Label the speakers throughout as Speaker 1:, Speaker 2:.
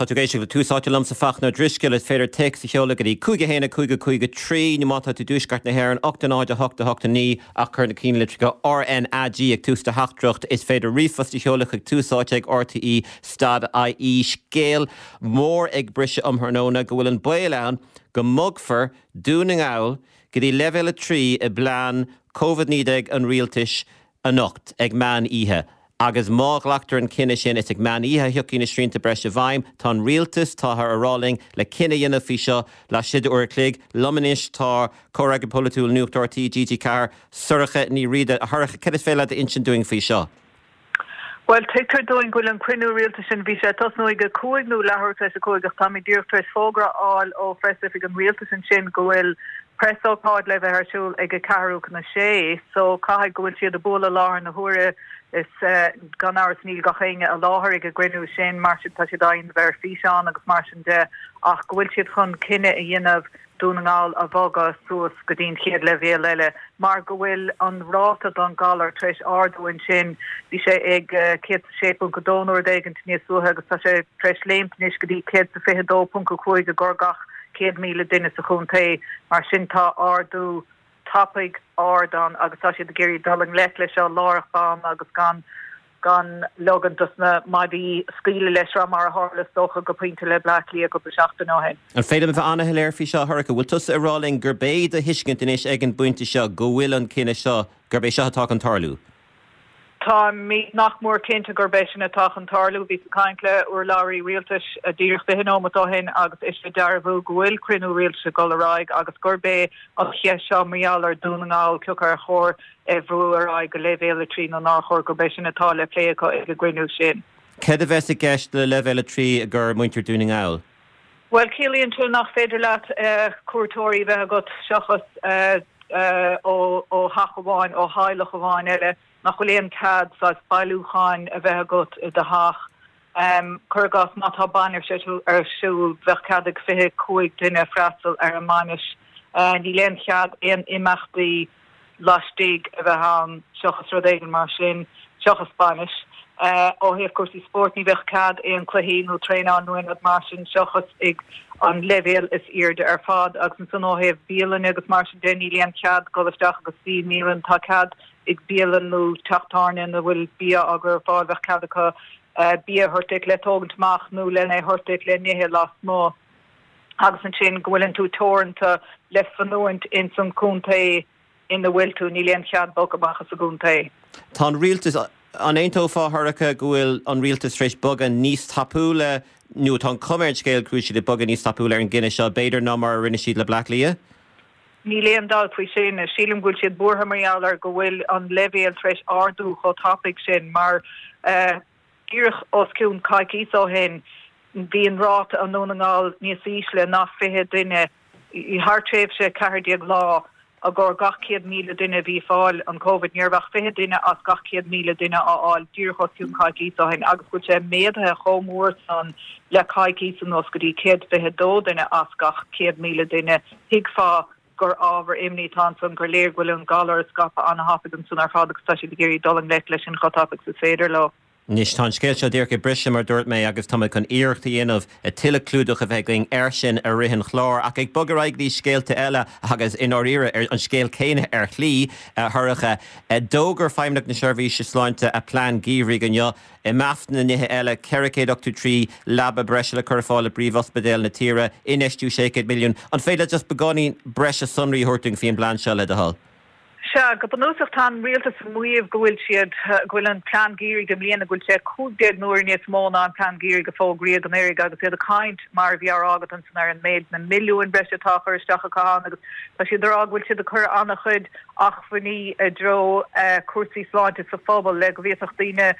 Speaker 1: Tá tú ag éisteacht le Tús Áite liomsa Fachtna Ó Drisceoil. Is féidir téacs a sheoladh go dtí 5 1 5 5 3 nó má tá tú i dtuaisceart na hÉireann 8 0 8 8 9 ach cuir na cinnlitreacha RnaG ag tús do theachtaireacht. Is féidir ríomhphost a sheoladh chuig túsáite ag rte stad ie. Scéal mór ag briseadh um thráthnóna go bhfuil an baol ann go mbogfar Dún na nGall go dtí leibhéal 3 i bplean Covid-19 an rialtais anocht ag meán oíche agus má ghlactar an cinneadh sin, is ag meán oíche a thiocfaidh na srianta breise i bhfeidhm. Tá an rialtas, táthar a rá linn, le cinneadh a dhéanamh faoi seo laistigh de uair a chloig. Liom anois tá Comhfhreagraí Polaitiúil Nuacht RTÉ, TG4, Sorcha Ní Riada. A Shorcha, cad is féidir leat a insint dúinn faoi seo?
Speaker 2: Bhuel, tuigtear dúinn go bhfuil an cruinniú rialtais sin, bhí sé ag tosnú ag a 5 nó leathuair tar éis a 5 ach táimid díreach tar éis fógra a fháil ó Phreas-Oifig an Rialtais ansin go bhfuil Preasócáid le bheith ar siúl ag a ceathrú chun a sé so caithfidh go bhfuil siad ag bualadh i láthair na huaire is gan amhras níl gach éinne i láthair ag an gcruinniú sin mar sin tá siad á dhéanamh ar físeán agus mar sin de ach go bhfuil siad chun cinneadh a dhéanamh Dún na nGall a bhogadh suas go dtí an chéad leibhéal eile mar go bhfuil an ráta don galar tar éis ardú ansin bhí sé ag 106.2 nó rud éigint níos luaithe agus tá sé tar éis léimt anois go dtí 122.5 i gcomhair gach 100,000 duine sa chontae. Mar sin tá ardú tapaidh ard ann agus tá siad ag iarraidh dul i ngleic leis seo láithreach bonn agus gan gan leogaint dos na maidí scaoileadh leis seo mar a tharla is dócha go pointe le Bleá Cliath cúpla seachtain ó shin.
Speaker 1: An féidir liom a bheith an-shoiléir faoi seo, a Shorcha? Bhfuil tusa ag rá linn gurb é do thuiscint anois ag an bpointe seo go bhfuil an cinneadh seo, gurb é seo atá chun tarlú?
Speaker 2: Táimid nach mór cinnte gurb é sin atá chun tarlú. Bhíos ag caint le urlabhraí rialtais díreach 20 nóimeat ó shin agus ise ag dearbhú go bhfuil cruinniú rialtais ag dul ar aghaidh agus gurb é an cheist seo mar gheall ar Dhún na nGall, cé acu ar chóir é a bhrú ar aghaidh go leibhéal 3 nó nár chóir, gurb é sin atá le plé acu ag an gcruinniú sin.
Speaker 1: Céard a bheas i gceist le leibhéal 3 i gcomhair muintir Dhún na nGall?
Speaker 2: Bhuel, ciallaíonn sé nach féidir leat cuairteoirí a bheith agat seachas ó theach amháin, ó theaghlach amháin eile, nach bhfuil aon cead saghas bailiúcháin a bheith agat i do theach. Cuir i gcás, má tá bainis ar siúl, bheadh cead ag 25 duine freastal ar an mbainis. Níl aon chead aon imeachtaí laistigh a bheith ann seachas rud éigin mar sin, seachas bainis. Ó thaobh cúrsaí spóirt, ní bheadh cead aon cluichí nó traenáil nó aon rud mar sin seachas ag an leibhéal is airde ar fad. Agus ansan ó thaobh bialainne agus mar sin de, níl aon chead dul isteach agus suí i mbialann. Tá cead ag bialann nó teach tábhairne ina bhfuil bia á gcur ar fáil, bheadh cead acu bia a thabhairt duit le tógaint amach nó lena thabhairt duit le n-ithe lasmuigh. agus ansin go bhfuileann tú teoranta le fanúint ins an chontae ina bhfuil tú, níl aon chead bogadh amach as an gcontae.
Speaker 1: Tá an rialtas, an aontófá, a Shorcha, go bhfuil an rialtas tar éis bogadh níos tapúla, nó tá an chuma ar an scéal go bhfuil siad ag bogadh níos tapúla ar an gcinneadh seo, b'fhéidir, ná mar a rinne siad le Bleá Cliath?
Speaker 2: Níl aon dabht faoi sin. Sílim go bhfuil siad buartha mar gheall ar go bhfuil an leibhéal tar éis ardú chomh tapaidh sin mar díreach os cionn coicíos ó shin bhí an ráta i nDún na nGall níos ísle ná 20 duine thar tréimhse 14 lá i gcomhair gach 100,000 duine a bhí ag fáil an Covid. Ní raibh ach 20 duine as gach 100,000 duine á fháil díreach os cionn coicíos ó shin agus go bhfuil sé méadaithe chomh mór san le coicíos anuas go dtí 122 duine as gach 100,000 duine. Thuigfeá gur ábhar imní atá ansan, gur léir go bhfuil an galar ag scaipeadh an-thapaidh ansan ar fad agus tá siad ag iarraidh dul i ngleic leis sin chomh tapaidh is is féidir leo.
Speaker 1: Anois, tá an scéal seo díreach ag briseadh, mar a dúirt mé, agus tá mé chun iarracht a dhéanamh tuilleadh clúdach a bheith againn air sin i rith an chláir. Ach ag bogadh ar aghaidh go dtí scéalta eile, agus i ndáiríre, ar an scéal céanna ar shlí, a Shorcha, d'fhógair Feidhmeannacht na Seirbhíse Sláinte a plean geimhridh inniu. I measc na nithe eile, 483 leaba breise le cur ar fáil i bpríomhospidéil na tíre, infheistiú 600 milliún. An féidir leat just beagáinín breise sonraí a thabhairt dúinn faoin bplean seo, le do thoil?
Speaker 2: Sea, go bunúsach tá an rialtas ag maíomh go bhfuil siad, go bhfuil an plean geimhridh i mbliana, go bhfuil sé 15 n-uaire níos mó ná an plean geimhridh a fógraíodh anuraidh agus iad ag caint, mar a bhí á rá agat ansan, ar an méid na milliúin breise atá á chur isteach acu ann agus tá siad ag rá go bhfuil siad ag cur an-chuid acmhainní i dtreo cúrsaí sláinte sa phobal le go bhféadfadh daoine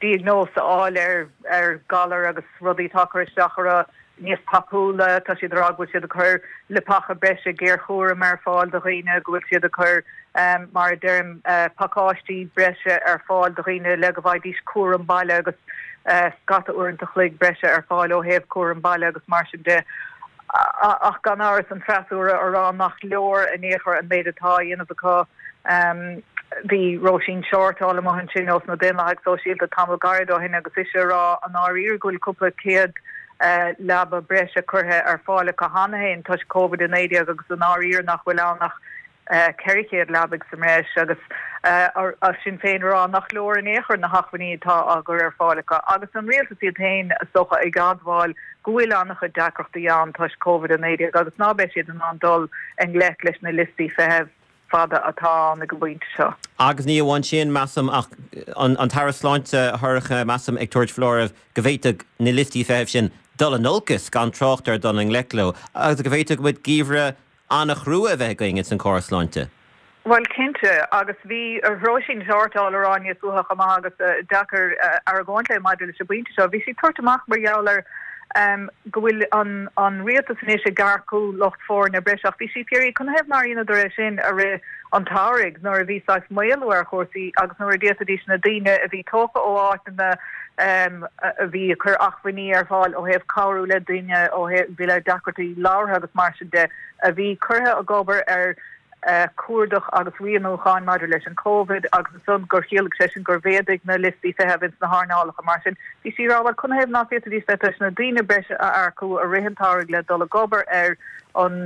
Speaker 2: diagnóis a fháil ar ar ghalair agus rudaí atá ag cur isteach orthu níos tapúla. Tá siad ag rá go bhfuil siad ag cur leapacha breise géarchúraim ar fáil do dhaoine, go bhfuil siad ag cur, mar a deirim, pacáistí breise ar fáil do dhaoine le go bhfaighidís cúram baile agus scata uaireanta a chloig breise ar fáil ó thaobh cúram baile agus mar sin de. Ach gan amhras, an freasúra a rá nach leor in aon chor an méid atá á dhéanamh acu. Bhí Róisín Shortall amuigh ansin ós na Daonlathaigh Sóisialta tamall gairid ó shin agus ise a rá i ndáiríre go bhfuil cúpla céad. leaba breise curtha ar fáil acu cheana féin toisc Covid-19 agus i ndáiríre nach bhfuil ann ach 400 leabaidh sa mbreis agus Sinn Féin ag rá nach leor in aon chor na hacmhainní atá á gcur ar fáil acu agus an rialtas iad féin is dócha ag admháil go bhfuil an-chuid deacrachtaí ann toisc Covid-19 agus ná beidh siad in ann dul i ngleic leis na liostaí feithimh fada atá ann ag an bpointe seo.
Speaker 1: Agus ní amháin sin, measaim, ach an tAire Sláinte, a Shorcha, measaim, ag tabhairt foláireamh go bhféadfadh na liostaí feithimh sin dul in olcas, gan trácht ar dul i ngleic leo, agus go bhféadfadh muid geimhreadh an-chrua a bheith againn ins an córas sláinte.
Speaker 2: Bhuel, cinnte, agus bhí Róisín Shortall ag rá níos luaithe chomh maith agus deacair argóint léi maidir leis an bpointe seo. Bhí sí ag tabhairt amach mar gheall ar go bhfuil an rialtas anois ag earcú lucht foirne breise ach bhí sí ag fiafraí canathaobh nár dheineadar é sin i rith an tsamhraidh nuair a bhí saghas maolú ar chúrsaí agus nuair a d'fhéadfaidís na daoine a bhí tógtha ó áiteanna a bhí ag cur acmhainní ar fáil ó thaobh cabhrú le daoine ó thaobh bhí le deacrachtaí labhartha agus mar sin de a bhí curtha ag obair ar cuardach agus rianúcháin maidir leis an Covid agus ansan gur chiallaigh sé sin gur mhéadaigh na liostaí feithimh ins na hearnálacha mar sin. Bhí sí ag rá bhuel canathaobh ná féadfaidís bheith tar éis na daoine breise a earcú i rith an tsamhraidh le dul ag obair ar an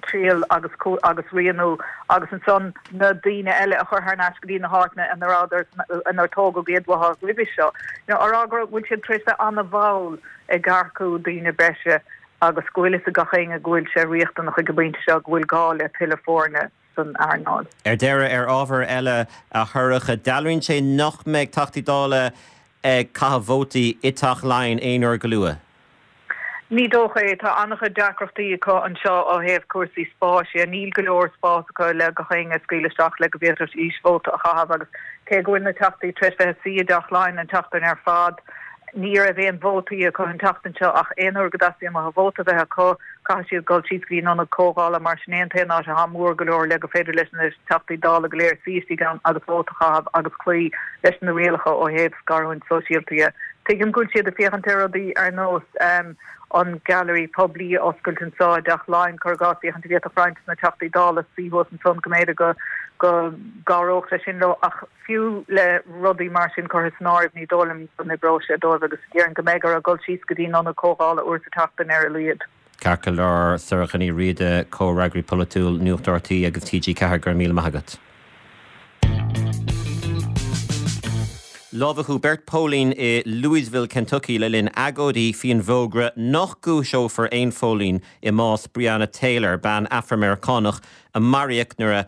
Speaker 2: triail agus agus rianú agus ansan na daoine eile a chur thar n-ais go dtí na háiteanna ina rabhadar inar tógadh iad uathu roimhe seo. You know, á rá go bhfuil siad tar éis bheith an-mhall ag earcú daoine breise agus go bhfuil fhios ag gach éinne go bhfuil sé riachtanach ag an bpointe seo, go bhfuil gá le tuilleadh foirne san earnáil.
Speaker 1: Ar deireadh, ar ábhar eile, a Shorcha, dealraíonn sé nach mbeidh Teachtaí Dála ag caitheamh vótaí i dTeach Laighean aon uair go luath.
Speaker 2: Ní dócha é. Tá an-chuid deacrachtaí acu anseo ó thaobh cúrsaí spáis dhe. Níl go leor spás acu le gach éinne a scaoileadh isteach le go bhféadfaidís vóta a chaitheamh agus cé go bhfuil na Teachtaí tar éis bheith ag suí i dTeach Laighean an tseachtain ar fad, ní raibh aon vótaí acu an tseachtain seo ach aon uair go dteastaíonn uathu vóta a bheith acu, caithfidh siad dul síos go dtí an ionad comhdhála mar sin é an t-aon áit atá mór go leor le gur féidir leis na Teachtaí Dála go léir suí istigh ann agus vóta a chaitheamh agus cloí leis na rialacha ó thaobh scarúint sóisialta dhe. Tuigim go bhfuil siad ag féachaint ar rudaí ar nós an Gallery poiblí a oscailt anseo i dTeach Laighean, cuir i gcás, féachaint an bhféadfadh roinnt de na Teachtaí Dála suí thuas ansan go mb'fhéidir go go gcabhródh sé sin leo ach fiú le rudaí mar sin curtha san áireamh ní dóigh liom go n-oibreoidh sé dóibh agus déarfainn go mbeidh orthu dul síos go dtí an ionad comhdhála uair sa tseachtain ar a laghad.
Speaker 1: Ceart go leor, Sorcha Ní Riada, Comhfhreagraí Polaitiúil Nuacht RTÉ agus TG4, go raibh míle maith agat. Lámhachadh beirt póilín i Louisville, Kentucky le linn agóidí faoin bhfógra nach gcúiseofar aon phóilín i mbás Breonna Taylor, bean Afra-Meiriceánach a maraíodh nuair a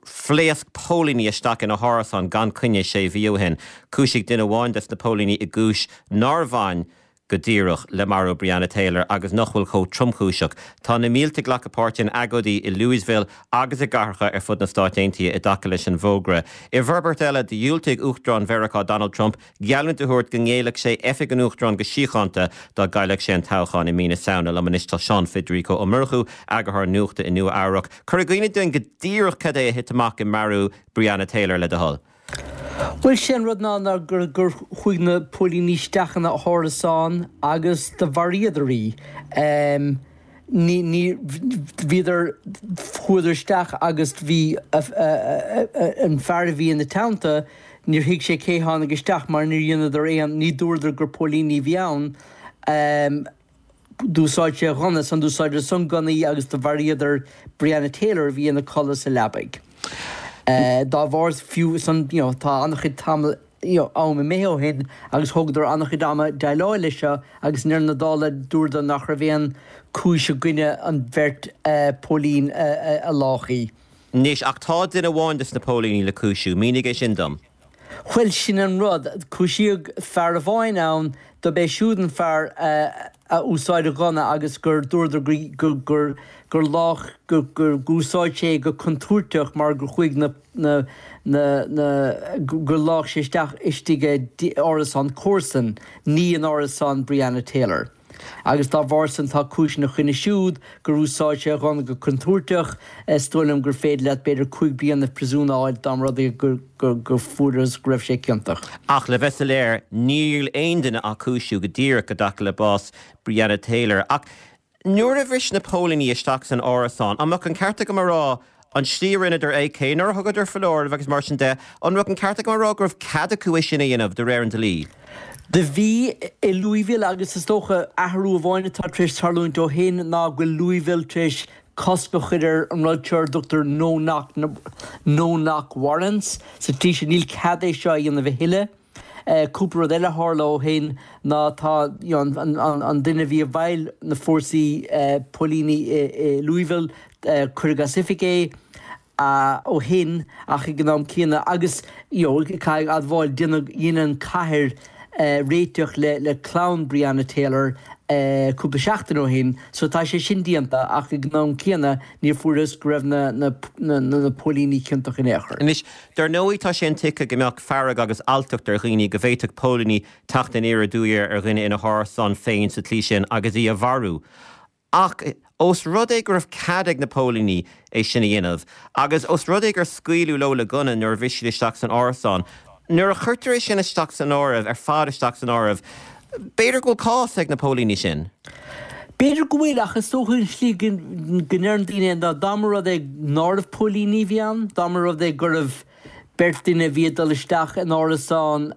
Speaker 1: phléasc póilíní isteach ina hárasán gan coinne sé mhí ó shin. Cúisíodh duine amháin des na póilíní i gcúis nár bhain go díreach le marú Breonna Taylor agus nach bhfuil chomh tromchúiseach. Tá na mílte ag glacadh páirte in agóidí i Louisville agus i gcathracha ar fud na Stáit Aontaithe i dtaca leis an bhfógra. I bhforbairt eile, dhiúltaigh Uachtarán Mheiriceá Donald Trump geallúint a thabhairt go ngéillfeadh sé oifig an Uachtaráin go síochánta dá gcaillfeadh sé an toghchán i mí na Samhna. Liom anois tá Seán Federico Ó Murchú, eagarthóir nuachta i Nua Eabhrac. Cuir i gcuimhne dúinn go díreach cad é a thit amach i marú Breonna Taylor, le do thoil.
Speaker 3: Bhuel, sé an rud ná ná gur gur chuaigh na póilíní isteach ina hárasán agus do mharaíodar í. Ní ní bhíodar chuadar isteach agus bhí an fear a bhí ina teannta, níor thuig sé cé tháinig isteach mar níor dheineadar aon, ní dúradar gur póilíní a bhí ann. D'úsáid sé a ghunna san, d'úsáideadar san gunnaí agus do mharaíodar Breonna Taylor a bhí ina codladh sa leabaidh. Dá bharr, fiú san, you know, tá an-chuid tamall, you know, am imithe ó shin agus thógadar an-chuid ama déileáil leis seo agus i ndeireadh na dála dúradar nach raibh aon cúis i gcoinne an bheirt póilín a lách í.
Speaker 1: Anois, ach tá duine amháin de sna póilíní le cúisiú. Mínigh é sin dom.
Speaker 3: Bhuel, sin an rud. Cúisíodh fear amháin ann, dob é siúd an fear a úsáid a ghunna agus gur dúradar gur gur gur lách gur gur úsáid sé é go contúirteach mar gur chuaigh na na na na gur lách sé isteach istigh i árasán comharsan, ní in árasán Breonna Taylor. Agus dá bharr san tá cúis ina choinne siúd gur úsáid sé a ghunna go contúirteach. Is dóigh liom gur féidir leat b'fhéidir 5 bliana príosúin a fháil dá mba rud é gur gur fuarthas go raibh sé ciontach.
Speaker 1: Ach le bheith soiléir, níl aon duine á cúisiú go díreach i dtaca le bás Breonna Taylor. Ach nuair a bhris na póilíní isteach san árasán, an mbeadh an ceart agam a rá An tslí a rinneadar é, cé nár thugadar foláireamh agus mar sin de, an mbeadh an ceart agam a rá go raibh cead acu é sin a dhéanamh de réir an dlí?
Speaker 3: Do bhí i Louisville agus is dócha athrú amháin atá tar éis tarlúint ó shin ná go bhfuil Louisville tar éis cosc a chur ar an rud seo ar a dtugtar no knock no knock warrants sa tslí sin níl cead é seo a dhéanamh a thuilleadh. Cúpla rud eile a tharla ó shin ná tá you know an an an duine a bhí i bhfeighil na fórsaí póilíní i i Louisville cuireadh as oifig é. ó shin ach ag an am céanna agus you know caithfidh admháil déanadh dhein an cathair réiteach le le clann Breonna Taylor cúpla seachtain ó shin so tá sé sin déanta ach ag an am céanna níor fuarthas go raibh na na na na póilíní ciontach in aon chor.
Speaker 1: Anois, dar ndóigh tá sé intuigthe go mbeadh fearg agus alltacht ar dhaoine go bhféadfadh póilíní teacht aniar aduaidh ar dhuine ina hárasán féin sa tslí sin agus í a mharú. Ach ós rud é go raibh cead ag na póilíní é sin a dhéanamh, agus ós rud é gur scaoileadh leo le gunna nuair a bhris siad isteach san árasán, nuair a chuirtear é sin isteach san áireamh, ar fad isteach san áireamh, b'fhéidir go bhfuil cás ag na póilíní sin.
Speaker 3: B'fhéidir go bhfuil, ach is dócha an tslí go ndeireann daoine é ná dá mba rud é nárbh póilíní a bhí ann, dá mba rud é gurbh beirt duine a bhí ag dul isteach in árasán,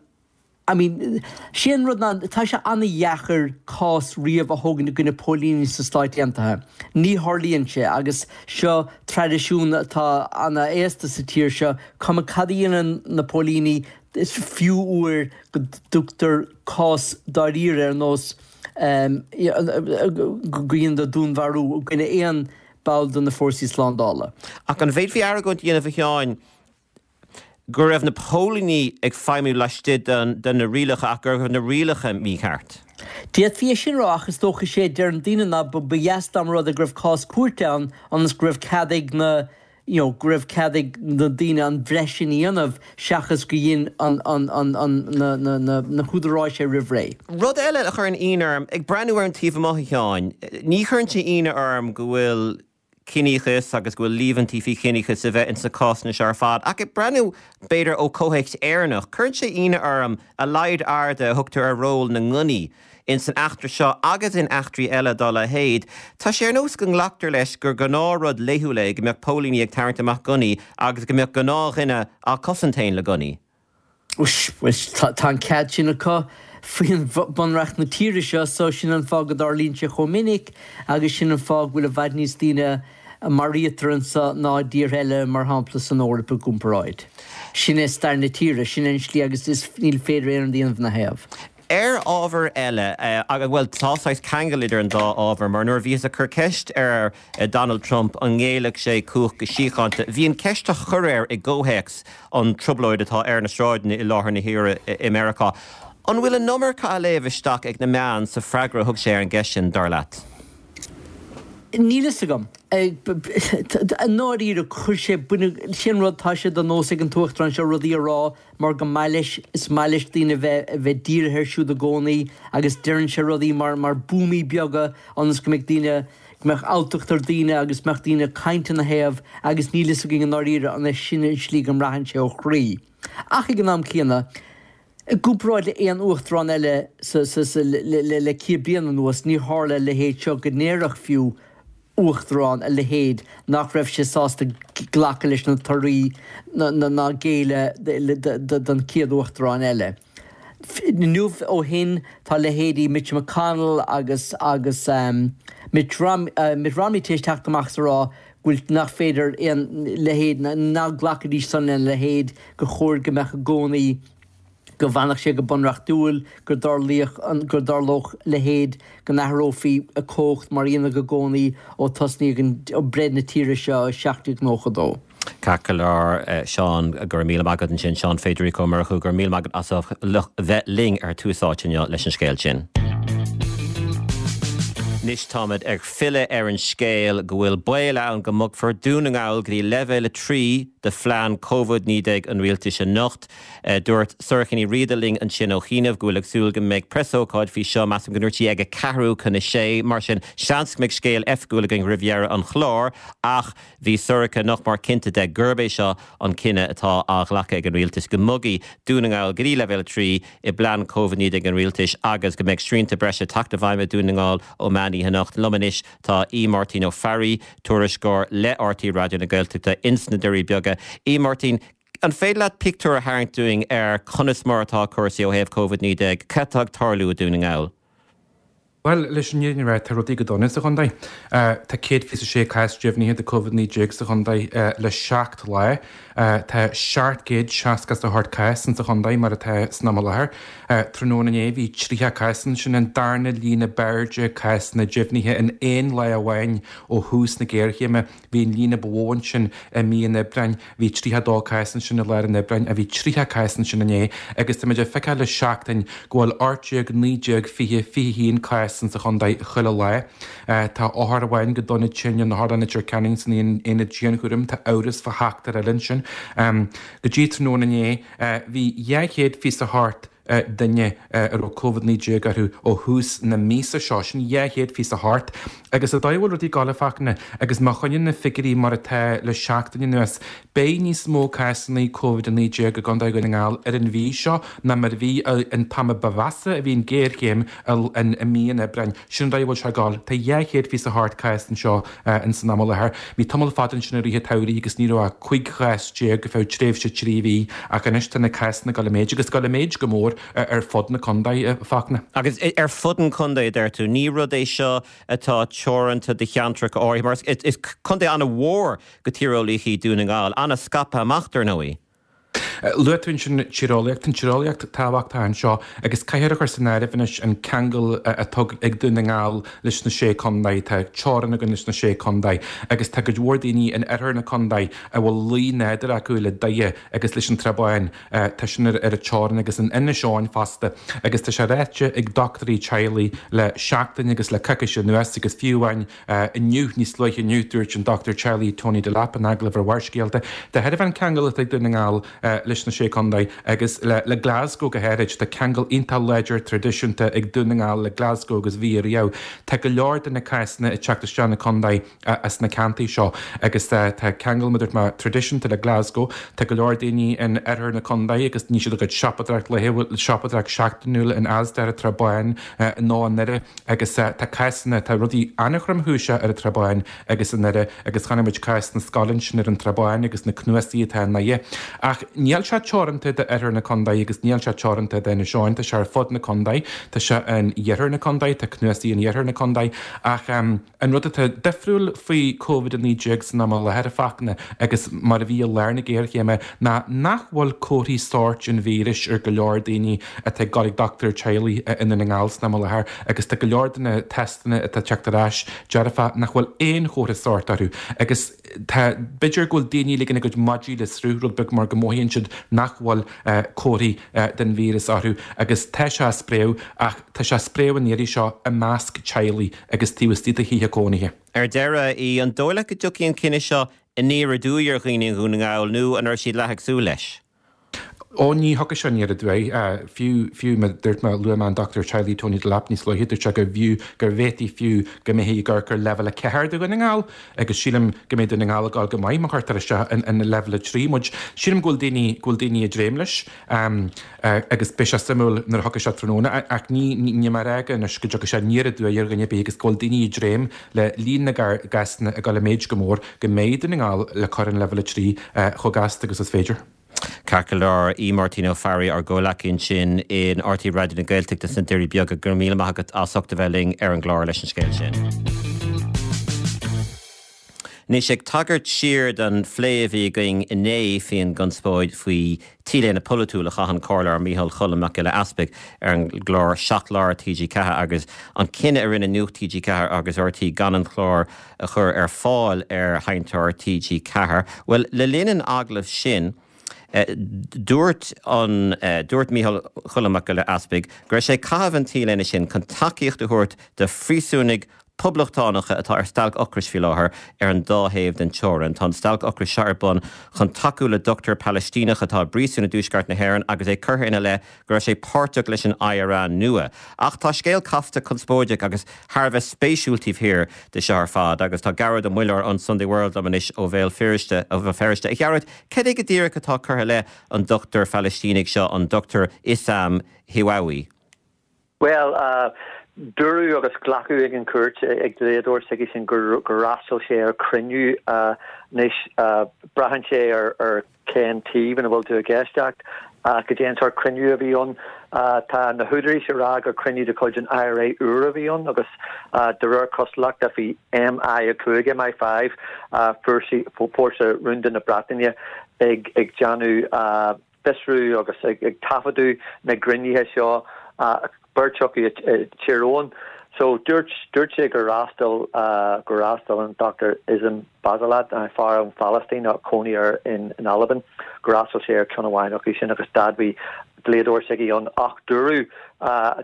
Speaker 3: I mean, sé an rud ná, tá sé an-dheacair cás riamh a thógaint i gcoinne póilíní sna Stáit Aontaithe. Ní tharlaíonn sé agus seo traidisiún atá ana-aosta sa tír seo, cuma cad a dhéanann na póilíní, is fiú uair go dtugtar cás dáiríre ar nós go ndéantar dúnmharú i gcoinne aon ball de na fórsaí slándála.
Speaker 1: Ach an bhféadfaí argóint a dhéanamh, a Sheáin, go raibh na póilíní ag feidhmiú laistigh de na rialacha ach go raibh na rialacha mícheart.
Speaker 3: D'fhéadfaí é sin a rá ach is dócha sé a deireann daoine ná ba dheas dá mba rud é go raibh cás cúirte ann ionas go raibh cead ag na you know go raibh cead ag na daoine an bhreith sin a dhéanamh seachas go dhein an an an an na na na na húdaráis é roimh ré.
Speaker 1: Rud eile a chuireann ionadh orm, ag breathnú ar an taobh amuigh a Sheáin, ní chuireann sé ionadh orm go bhfuil ciníochas agus go bhfuil líomhaintí faoi chiníochas a bheith ins na cásanna seo ar fad. Ach ag breathnú, b'fhéidir, ó chomhthéacs Éireannach, cuireann sé ionadh orm a laghad airde a thugtar ar ról na ngunnaí ins an eachtra seo agus in eachtraí eile dá leithéid. Tá sé ar nós go nglactar leis gur gnáthrud laethúil é go mbeadh póilíní ag tarraingt amach gunnaí agus go mbeadh gnáthdhuine á cosaint féin le gunnaí.
Speaker 3: Bhuel, tá an cead sin acu faoi Bhunreacht na tíre seo, so sin an fáth go dtarlaíonn sé chomh minic agus sin an fáth go bhfuil i bhfad níos daoine a maraítear anseo ná i dtíortha eile, mar shampla san Eoraip i gcomparáid. Sin é stair na tíre, sin é an slí agus is níl féidir aon rud a dhéanamh ina thaobh.
Speaker 1: Ar ábhar eile, bhuel, tá saghas ceangal idir an dá ábhar, mar nuair a bhíothas ag cur ceist ar Donald Trump an ngéillfeadh sé cumhacht go síochánta, bhí an ceist á chur air i gcomhthéacs an trioblóid atá ar na sráideanna i láthair na huaire i Meiriceá. An bhfuil an iomarca á léamh isteach ag na meáin sa freagra a thug sé ar an gceist sin, dar leat?
Speaker 3: Níl fhios agam. I ndáiríre, chuir sé, baineadh, sin an rud, tá sé de nós ag an tUachtarán seo rudaí a rá mar go maith leis, is maith leis daoine bheith, a bheith dírithe air siúd i gcónaí agus deireann sé rudaí mar, mar buamaí beaga ionas go mbeidh daoine, go mbeadh alltacht ar daoine agus mbeadh daoine ag caint ina thaobh agus níl fhios againn i ndáiríre an é sin an slí go mbraitheann sé ó chroí. Ach ag an am céanna, i gcomparáid le aon uachtarán eile sa, sa, sa, le, le, le 100 bliain anuas, níor tharla a leithéid seo go ndéarfadh fiú Uachtarán a leithéid nach raibh sé sásta glacadh leis na torthaí ná géilleadh don chéad Uachtarán eile. Inniu ó shin tá leithéidí Mitch McConnell agus agus Mitt Romney tar éis teacht amach is a rá go bhfuil nach féidir aon leithéid ná glacfaidís san lena leithéid gur chóir go mbeadh i gcónaí go bhfanfadh sé go bunreachtúil, go dtarlaíodh an, go dtarlódh a leithéid, go n-athrófaí cumhacht mar a dhéanadh i gcónaí ó tosnaíodh an, ó breith na tíre seo i 1792.
Speaker 1: Ceart go leor, Seán, go raibh míle maith agat ansin, Seán Federico Ó Murchú, go raibh míle maith agat as ucht bheith linn ar Tús Áite inniu leis an scéal sin. Anois táimid ag filleadh ar an scéal go bhfuil baol ann go mbogfar Dún na nGall go dtí leibhéal 3 de phlean Covid-19 an rialtais anocht. Dúirt Sorcha Ní Riada linn ansin ó chianaibh go bhfuil ag súil go mbeidh preasócáid faoi seo, measaim go ndúirt sí ag a ceathrú chun a sé, mar sin seans go mbeidh scéal oifigiúil againn roimh dheireadh an chláir ach bhí Sorcha nach mór cinnte de gurb é seo an cinneadh atá á ghlacadh ag an rialtas, go mbogfaidh Dún na nGall go dtí leibhéal 3 i bplean Covid-19 an rialtais agus go mbeidh srianta breise ag teacht i bhfeidhm i Dún na nGall ó meán oíche anocht. Liom anois tá Aodh Máirtín Ó Fearraigh, tuairisceoir le RTÉ Raidió na Gaeltachta ins na Doirí Beaga. Aodh Máirtín. An féidir leat pictiúr a tharraingt dúinn ar conas mar atá cúrsaí ó thaobh Covid-19, cad atá ag tarlú i Dún na nGall?
Speaker 4: Bhuel, leis an fhírinne a rá, tá rudaí go dona sa chontae. Tá 126 cás deimhnithe de Covid-19 sa chontae le 7 lá. Tá 768 cás insa chontae mar atá san am i láthair. Tráthnóna inné bhí 30 cás ann, sin an darna líon ab airde cásanna deimhnithe in aon lá amháin ó thús na géarchéime. Bhí an líon ba mhó ansin i mí an Aibreáin, bhí 32 cás ansin i lár an Aibreáin, bhí 30 cás ansin inné agus tá muid ag feiceáil le seachtain go bhfuil 18, 19, 20, 21 cás insa chontae chuile lá. Tá othar amháin go dona tinn in Otharlann Leitir Ceanainn san aonad dianchúraim, tá amhras fá sheachtar eile ansin. Go dtí tráthnóna inné bhí 228 duine a raibh Covid-19 orthu ó thús na míosa seo, sin 228. Agus an dóigh a bhfuil rudaí ag gabháil a Fhachtna, agus má choinníonn na figiúirí mar atá le seachtain anuas, beidh níos mó cásanna Covid-19 i gContae Dhún na nGall ar an mhí seo ná mar a bhí an t-am a ba mheasa a bhí an ghéarchéim i mí an Aibreáin. Sin an dóigh a bhfuil sé ag gabháil. Tá 228 cás anseo ins an am i láthair. Bhí tamall fada ansin i rith an tsamhraidh agus ní raibh ach 15 chás go feadh tréimhse 3 mhí ach anois tá na cásanna ag dul i méid agus ag dul i méid go mór ar fud na contae, a Fhachtna.
Speaker 1: Agus ar fud an chontae, a deir tú. Ní rud é seo atá teoranta do cheantracha áirithe mar is contae an-mhór go tíreolaíoch í Dún na nGall, an-scaipthe amach dar ndóigh.
Speaker 4: Luaigh tú ansin tíreolaíocht. Tá an tíreolaíocht tábhachtach anseo agus caithfear a chur san áireamh anois an ceangal atá ag Dún na nGall leis na Sé Contae. Tá teorainn againn leis na Sé Contae agus tá cuid mhór daoine in oirthear na contae a bhfuil luí nádúrtha acu le Doire agus leis an Trá Bháin. Tá sin ar an teorainn agus in Inis Eoghain fosta agus tá sé ráite ag dochtúirí teaghlaigh le seachtain agus le coicís anuas agus fiú amháin Inniu, níos luaithe inniu, dúirt an dochtúir teaghlaigh Tony Delap in agallamh ar Bharrscéalta, de thairbhe an ceangal atá ag Dún na nGall leis na Sé Contae agus le Glasgow go háirid, tá ceangal iontach láidir traidisiúnta ag Dún na nGall le Glasgow agus bhí ariamh. Tá go leor de na cásanna ag teacht isteach na contae as na ceantair seo agus tá ceangal, mar a dúirt mé, traidisiúnta le Glasgow. Tá go leor daoine in oirthear na contae agus ní siad a gcuid siopadóireacht laethúil, siopadóireacht seachtainiúil in Asda ar an Trá Báin nó i nDoire. Agus tá cásanna, tá rudaí an-thromchúiseach ar an Trá Báin agus i nDoire agus chonaic muid cás na scoile ansin ar an Trá Báin agus na cnuasaigh atá i nDoire. Ach níl sé teoranta d'oirthear na contae agus níl sé teoranta d'Inis Eoghain, tá sé ar fud na contae, tá sé in iarthar na contae, tá cnuasaigh in iarthar na contae ach an rud atá difriúil faoi Covid-19 san am i láthair, a Fhachtna, agus mar a bhí i lár na géarchéime ná nach bhfuil comharthaí sóirt an víris ar go leor daoine atá ag dul ag dochtúir teaghlaigh i nDún na nGall san am i láthair agus tá go leor de na teisteanna atá ag teacht ar ais dearfach nach bhfuil aon chomhartha sóirt orthu agus tá b'fhéidir go bhfuil daoine ag ligean a gcuid maidí le sruth rud beag mar go mothaíonn siad nach bhfuil comharthaí den víreas orthu agus tá sé ag spréadh ach tá sé ag spréadh an iarraidh seo i measc teaghlaigh agus taobh istigh de thithe cónaithe.
Speaker 1: Ar deireadh, an dóigh leat go dtiocfaidh an cinneadh seo aniar aduaidh ar dhaoine i nDún na nGall nó an raibh siad leath ag súil leis?
Speaker 4: Ó, ní thiocfaidh sé aniar aduaidh. Fiú, fiú, mar dúirt mé, luaigh mé an dochtúir teaghlaigh Tony Delap níos luaithe, dúirt sé go bhfiú, go bhféadfaí fiú go mbeifí ag amharc ar leibhéal 4 do Dhún na nGall agus sílim go mbeidh Dún na nGall ag dul go maith má chuirtear isteach in, in leibhéal 3 muid. Sílim go bhfuil daoine, go bhfuil daoine ag dréim leis agus beidh sé suimiúil nuair a thiocfaidh sé tráthnóna ach ní, ní, níl mé ag rá anois go dtiocfaidh sé aniar aduaidh ar dhuine ar bith agus go bhfuil daoine ag dréim le líon na gcásanna ag dul i méid go mór go mbeidh Dún na nGall le cur in leibhéal 3 chomh gasta agus is féidir.
Speaker 1: Ceart go leor, a Mháirtín Ó Fearraigh, ár gcomhleacaí ansin in RTÉ Raidió na Gaeltachta sna Doirí Beaga, go raibh míle maith agat as ucht a bheith linn ar an gclár leis an scéal sin. Anois, ag tagairt siar don phlé a bhí againn inné faoin gconspóid faoi T-léine polaitiúil a chaith an Comhairleoir Micheál Choilm Mac Giolla Easpaig ar an gclár 7 Lá ar TG4 agus an cinneadh a rinne Nuacht TG4 agus RTÉ gan an clár a chur ar fáil ar sheinnteoir TG4. Bhuel, le linn an agallaimh sin, dúirt an, dúirt Micheál Choilm Mac Giolla Easpaig go raibh sé ag caitheamh an T-léine sin chun tacaíocht a thabhairt do phríosúnaigh poblachtánacha atá ar stailc ocrais faoi láthair ar an dá thaobh den teorainn. Tá an stailc ocrais seo ar bun chun tacú le dochtúir Palaistíneach atá i bpríosún i dtuaisceart na hÉireann agus é curtha ina leith go raibh sé páirteach leis an IRA nua. Ach tá scéal casta, conspóideach agus thar a bheith spéisiúil taobh thiar de seo ar fad agus tá Gearóid Ó Muilleoir ón Sunday World liom anois ó Bhéal Feirste. Ó Bhéal Feirste. A Ghearóid, cad é go díreach atá curtha i leith an dochtúir Phalaistínigh seo, an Dr Issam Hiawawi?
Speaker 5: Bhuel, dúradh agus glacadh ag an gcúirt, ag dlíodóir s'aigesean, gur fhreastail sé ar chruinniú. Anois, braitheann sé ar. cén taobh ina bhfuil tú ag éisteacht, goidé an sórt cruinniú a bhí ann. Tá na húdaráis ag rá gur cruinniú de chuid an IRA úr a bhí ann agus de réir cosúlachta bhí MI5, MI5, fórsa rúnda na Breataine ag déanamh fiosrú agus ag taifeadadh na gcruinnithe seo, beirt acu i dTír Eoghain. So dúirt, dúirt sé gur fhreastail, gur fhreastail an Dr Issam Bassalat, fear ón Phalaistín ach cónaí air in Albain, gur fhreastail sé ar cheann amháin acu sin agus d'admhaigh dlíodóir s'aige ann ach dúradh,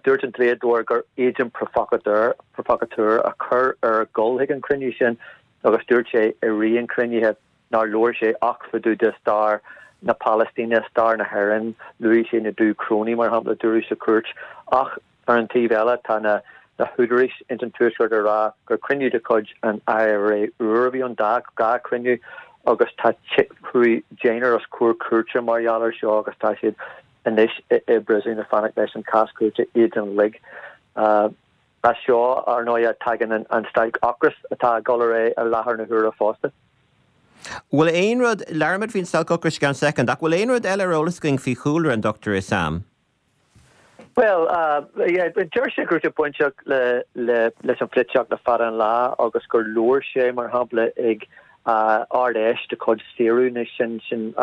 Speaker 5: dúirt an dlíodóir gur agent provocateur, provocateur a chuir air dul chuig an chruinniú sin agus dúirt sé i rith an chruinnithe nár labhair sé ach fá dtaobh de stair na Palaistíne, stair na hÉireann, luaigh sé na Dúchrónaigh, mar shampla, dúradh sa chúirt. Ach ar an taobh eile, tá na húdaráis ins an Tuaisceart ag rá gur cruinniú de chuid an IRA úr a bhí ann, dá chruinniú, agus tá, chuaigh deichniúr os comhair cúirte mar gheall air seo agus tá siad anois i bpríosún ag fanacht leis an cás cúirte iad uilig. As seo, ar ndóighe, tagann an stailc ocrais atá ag dul ar aghaidh i láthair na huaire fosta.
Speaker 1: Bhfuil aon rud, labhróimid faoin stailc ocrais i gceann soicind, ach bhfuil aon rud eile ar eolas againn faoi chúlra an Dr Issam?
Speaker 5: Bhuel, yeah, deir sé go raibh sé bainteach le, le, leis an pholaitíocht le fada an lá agus gur labhair sé, mar shampla, ag Ard-Fheis de chuid Saoradh, nó sin, sin,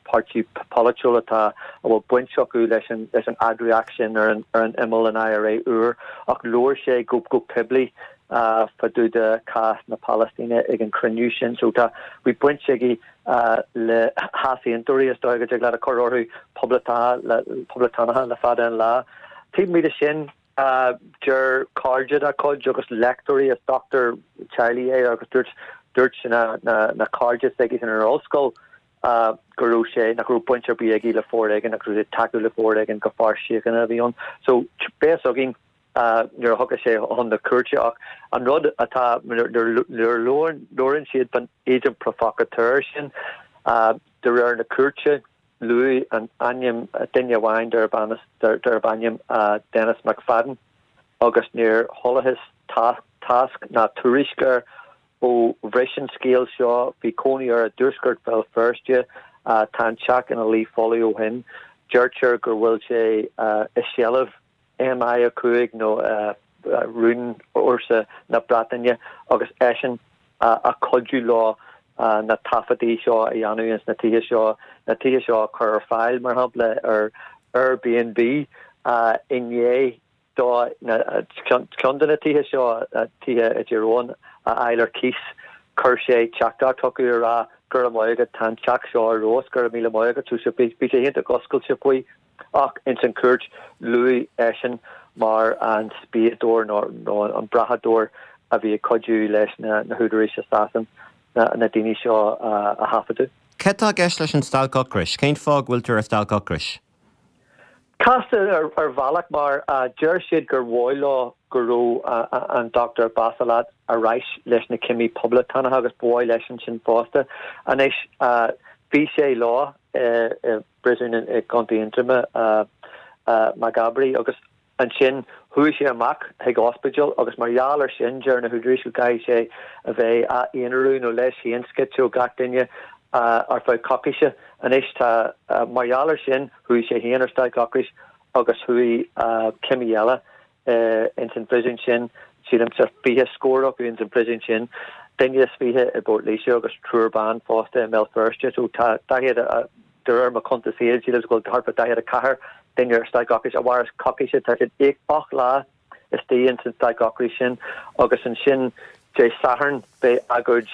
Speaker 5: páirtí polaitiúil atá a bhfuil baint acu leis an leis an eagraíocht sin ar an ar an imeall, an IRA úr, ach labhair sé go go poiblí fá dtaobh de chás na Palaistíne ag an chruinniú sin. So tá bhí baint aige le heasaontóirí, is dóigh go dtig leat a chur orthu, poblachtánaithe le fada an lá. Taobh amuigh de sin, Deir cairde dá chuid agus léachtóirí, is dochtúir teaghlaigh é agus dúirt dúirt na na cairde s'aige san ar ollscoil go raibh sé, nach raibh baint ar bith aige le foréigean, nach raibh sé ag tacú le foréigean, gur fear síochána a bhí ann. So beidh a fhios againn nuair a thiocfas sé chun na cúirte ach an rud atá, nuair a labhrann siad faoin agent provocateur sin, de réir na cúirte, Luadh an ainm duine amháin darb ainm Denis McFadden agus níor chualathas tásc ná tuairisc air ó bhris an scéal seo. Bhí cónaí air i dtuaisceart Bhéal Feirste. Tá an teach ina luí folamh ó shin. Deirtear go bhfuil sé i seilbh MI5 nó rúnfhórsa na Breataine agus eisean ag cuidiú leo na taifeadtaí seo a dhéanamh ins na tithe seo, na tithe seo a chur ar fáil, mar shampla, ar Airbnb i ndiaidh dó ceann de na tithe seo, tithe i dTír Eoghain, a fháil ar cíos. Chuir sé teachtaireacht chucu ag rá, Go raibh maith agat, tá an teach seo ar fheabhas, go raibh míle maith agat. So bhí sé iontach oscailte faoi. Ach ins an chúirt, luadh eisean mar an spiadóir nó an brathadóir a bhí ag cuidiú leis na húdaráis i Sasain na daoine seo a thaifeadadh.
Speaker 1: Cad tá i gceist leis an stailc ocrais? Cén fáth go bhfuiltear ar stailc ocrais?
Speaker 5: Casta ar bhealach mar deir siad gur mhaith leo go raibh an Dr Bassalat ar ais leis na cimí poblachtánacha agus ba mhaith leisean sin fosta. Anois bhí sé leo i bpríosún i gContae Aontroma, Maghaberry, agus ansin chuaigh sé amach chuig ospidéal agus mar gheall air sin deir na húdaráis go gcaithfidh sé a bheith á aonarú nó leis féin scoite ó gach duine ar feadh coicíse. Anois tá, mar gheall air sin chuaigh sé féin ar stailc ocrais agus chuaigh cimí eile ins an phríosún sin, sílimse 20 scór acu ins an phríosún sin, duine is 20 i bPort Laoise agus triúr ban fosta i mBéal Feirste. So tá 40, de réir mo chuntas féin, sílim go bhfuil thart fá 44 duine ar stailc ocrais a mhaireas coicíse. Tá siad 8 lá istigh ins an stailc ocrais sin agus ansin Dé Sathairn beidh agóid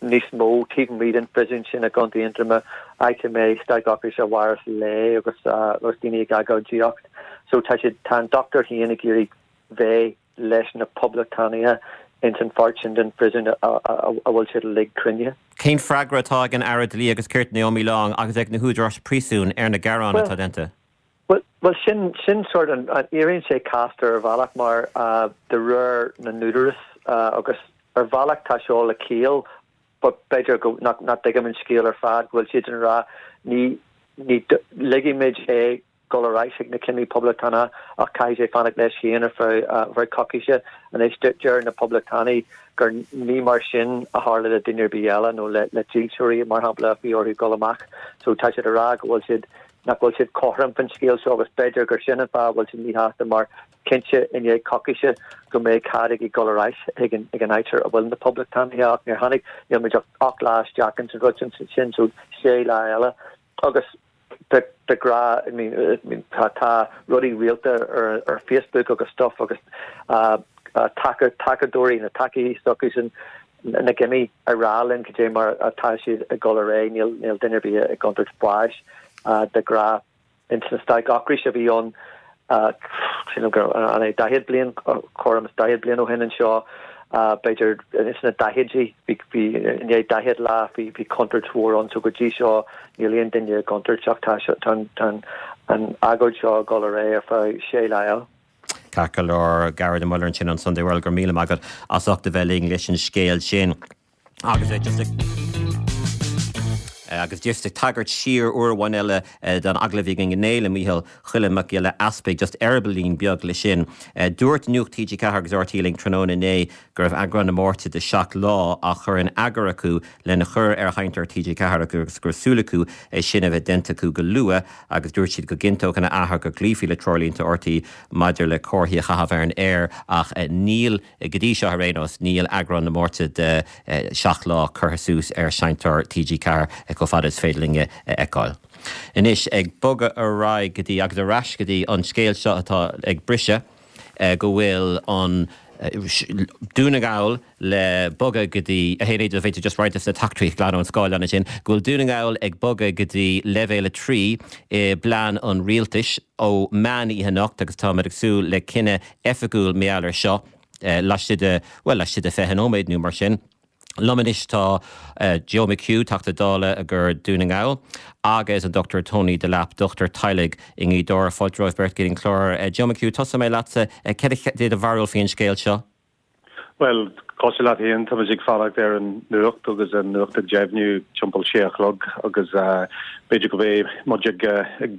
Speaker 5: níos mó taobh amuigh den phríosún sin i gContae Aontroma, áit a mbeidh stailc ocrais a mhaireas lá agus agus daoine ag agóidíocht. So tá siad, tá an dochtúir féin ag iarraidh bheith leis na poblachtánaithe ins an pháirt sin den phríosún a bhfuil siad uilig cruinnithe.
Speaker 1: Cén freagra atá ag an Aire Dlí agus Cirt Naomi Long agus ag na húdaráis príosúin ar na gearáin atá déanta?
Speaker 5: Bhuel, sin, sin sort an, éiríonn sé casta ar bhealach mar de réir na n-údarás agus ar bhealach tá seo le ciall but b'fhéidir go, nach, nach dtuigim an scéal ar fad, go bhfuil siad ag rá ní, ní, ligfimid é. dul ar ais chuig na cimí Poblachtánacha ach caithfidh sé fanacht leis féin ar feadh coicíse. Anois deir na Poblachtánaigh gur ní mar sin a tharla le duine ar bith eile nó le dílseoirí mar shampla a bhí orthu dul amach. So tá siad ag rá go bhfuil siad nach bhfuil siad cothrom faoin scéal seo agus b'fhéidir gur sin an fáth a bhfuil siad míshásta mar cinnte i ndiaidh coicíse go mbeidh cead aige dul ar ais chuig an ag an áit a bhfuil na Poblachtánaithe ach níor tháinig níl muid ach 8 lá isteach ins an rud sin so sé lá eile agus de de ghnáth I mean I mean tá tá rudaí rialta ar ar Facebook agus stuff agus taca tacadóirí na tacaí s'acusan na gcimí ag rá linn cad é mar atá siad ag dul ar aghaidh níl níl duine ar bith i gcontúirt báis de ghnáth. Ins na stailc ocrais a bhí ann, sílim gur an é 40 bliain, cothrom is 40 bliain ó shin anseo, b'fhéidir ins na daichidí, bhí, bhí, i ndiaidh 40 lá bhí, bhí contúirt mhór ann so go dtí seo níl aon duine i gcontúirt ach tá, tá an, tá an agóid seo ag dul ar aghaidh ar feadh sé lá eile.
Speaker 1: Ceart go leor, Gearóid Ó Muilleoir ansin ón Sunday World, go raibh míle maith agat as ucht a bheith linn leis an scéal sin. Agus é just ag agus just ag tagairt siar uair amháin eile don agallamh a bhí againn inné le Mícheál Choilm Mac Giolla Easpaig, just eireabaillín beag le sin. Dúirt Nuacht TG4 agus RTÉ linn tráthnóna inné go raibh eagrán na Máirte de Seacht Lá á chur in eagar acu lena chur ar sheinnteoir TG4 agus go raibh súil acu é sin a bheith déanta acu go luath agus dúirt siad go gcinnteodh ina athair go gcloífí le treoirlínte RTÉ maidir le comharthaí a chaitheamh ar an aer ach níl Go dtí seo ar aon nós, níl eagrán na Máirte de 7 Lá curtha suas ar sheinnteoir TG4 chomh fada is féidir linn a fheiceáil. Anois, ag bogadh ar aghaidh go dtí, agus ar ais go dtí an scéal seo atá ag briseadh, go bhfuil an Dún na nGall le bogadh go dtí, a Shéan, b'fhéidir just roinnt de na teachtaireachtaí a ghlanadh ón scáileán ansin, go bhfuil Dún na nGall ag bogadh go dtí leibhéal 3 i bplean an rialtais ó meán oíche anocht agus táimid ag súil le cinneadh oifigiúil mar gheall air seo laistigh de, bhuel, laistigh de 20 nóiméad nó mar sin. Liom anois tá Joe McHugh, Teachta Dála do Dhún na nGall, agus an Dr Tony Delap, dochtúir teaghlaigh i nGaoth Dobhair. Fáilte romhaibh beirt go dtí an clár. Joe McHugh, tosóidh mé leatsa. Céard é do bharúil faoin scéal seo?
Speaker 6: Bhuel, cosúil leat féin, táimid ag fanacht ar an nuacht agus an nuacht ag deimhniú timpeall sé a chlog agus b'fhéidir go mbeidh muid ag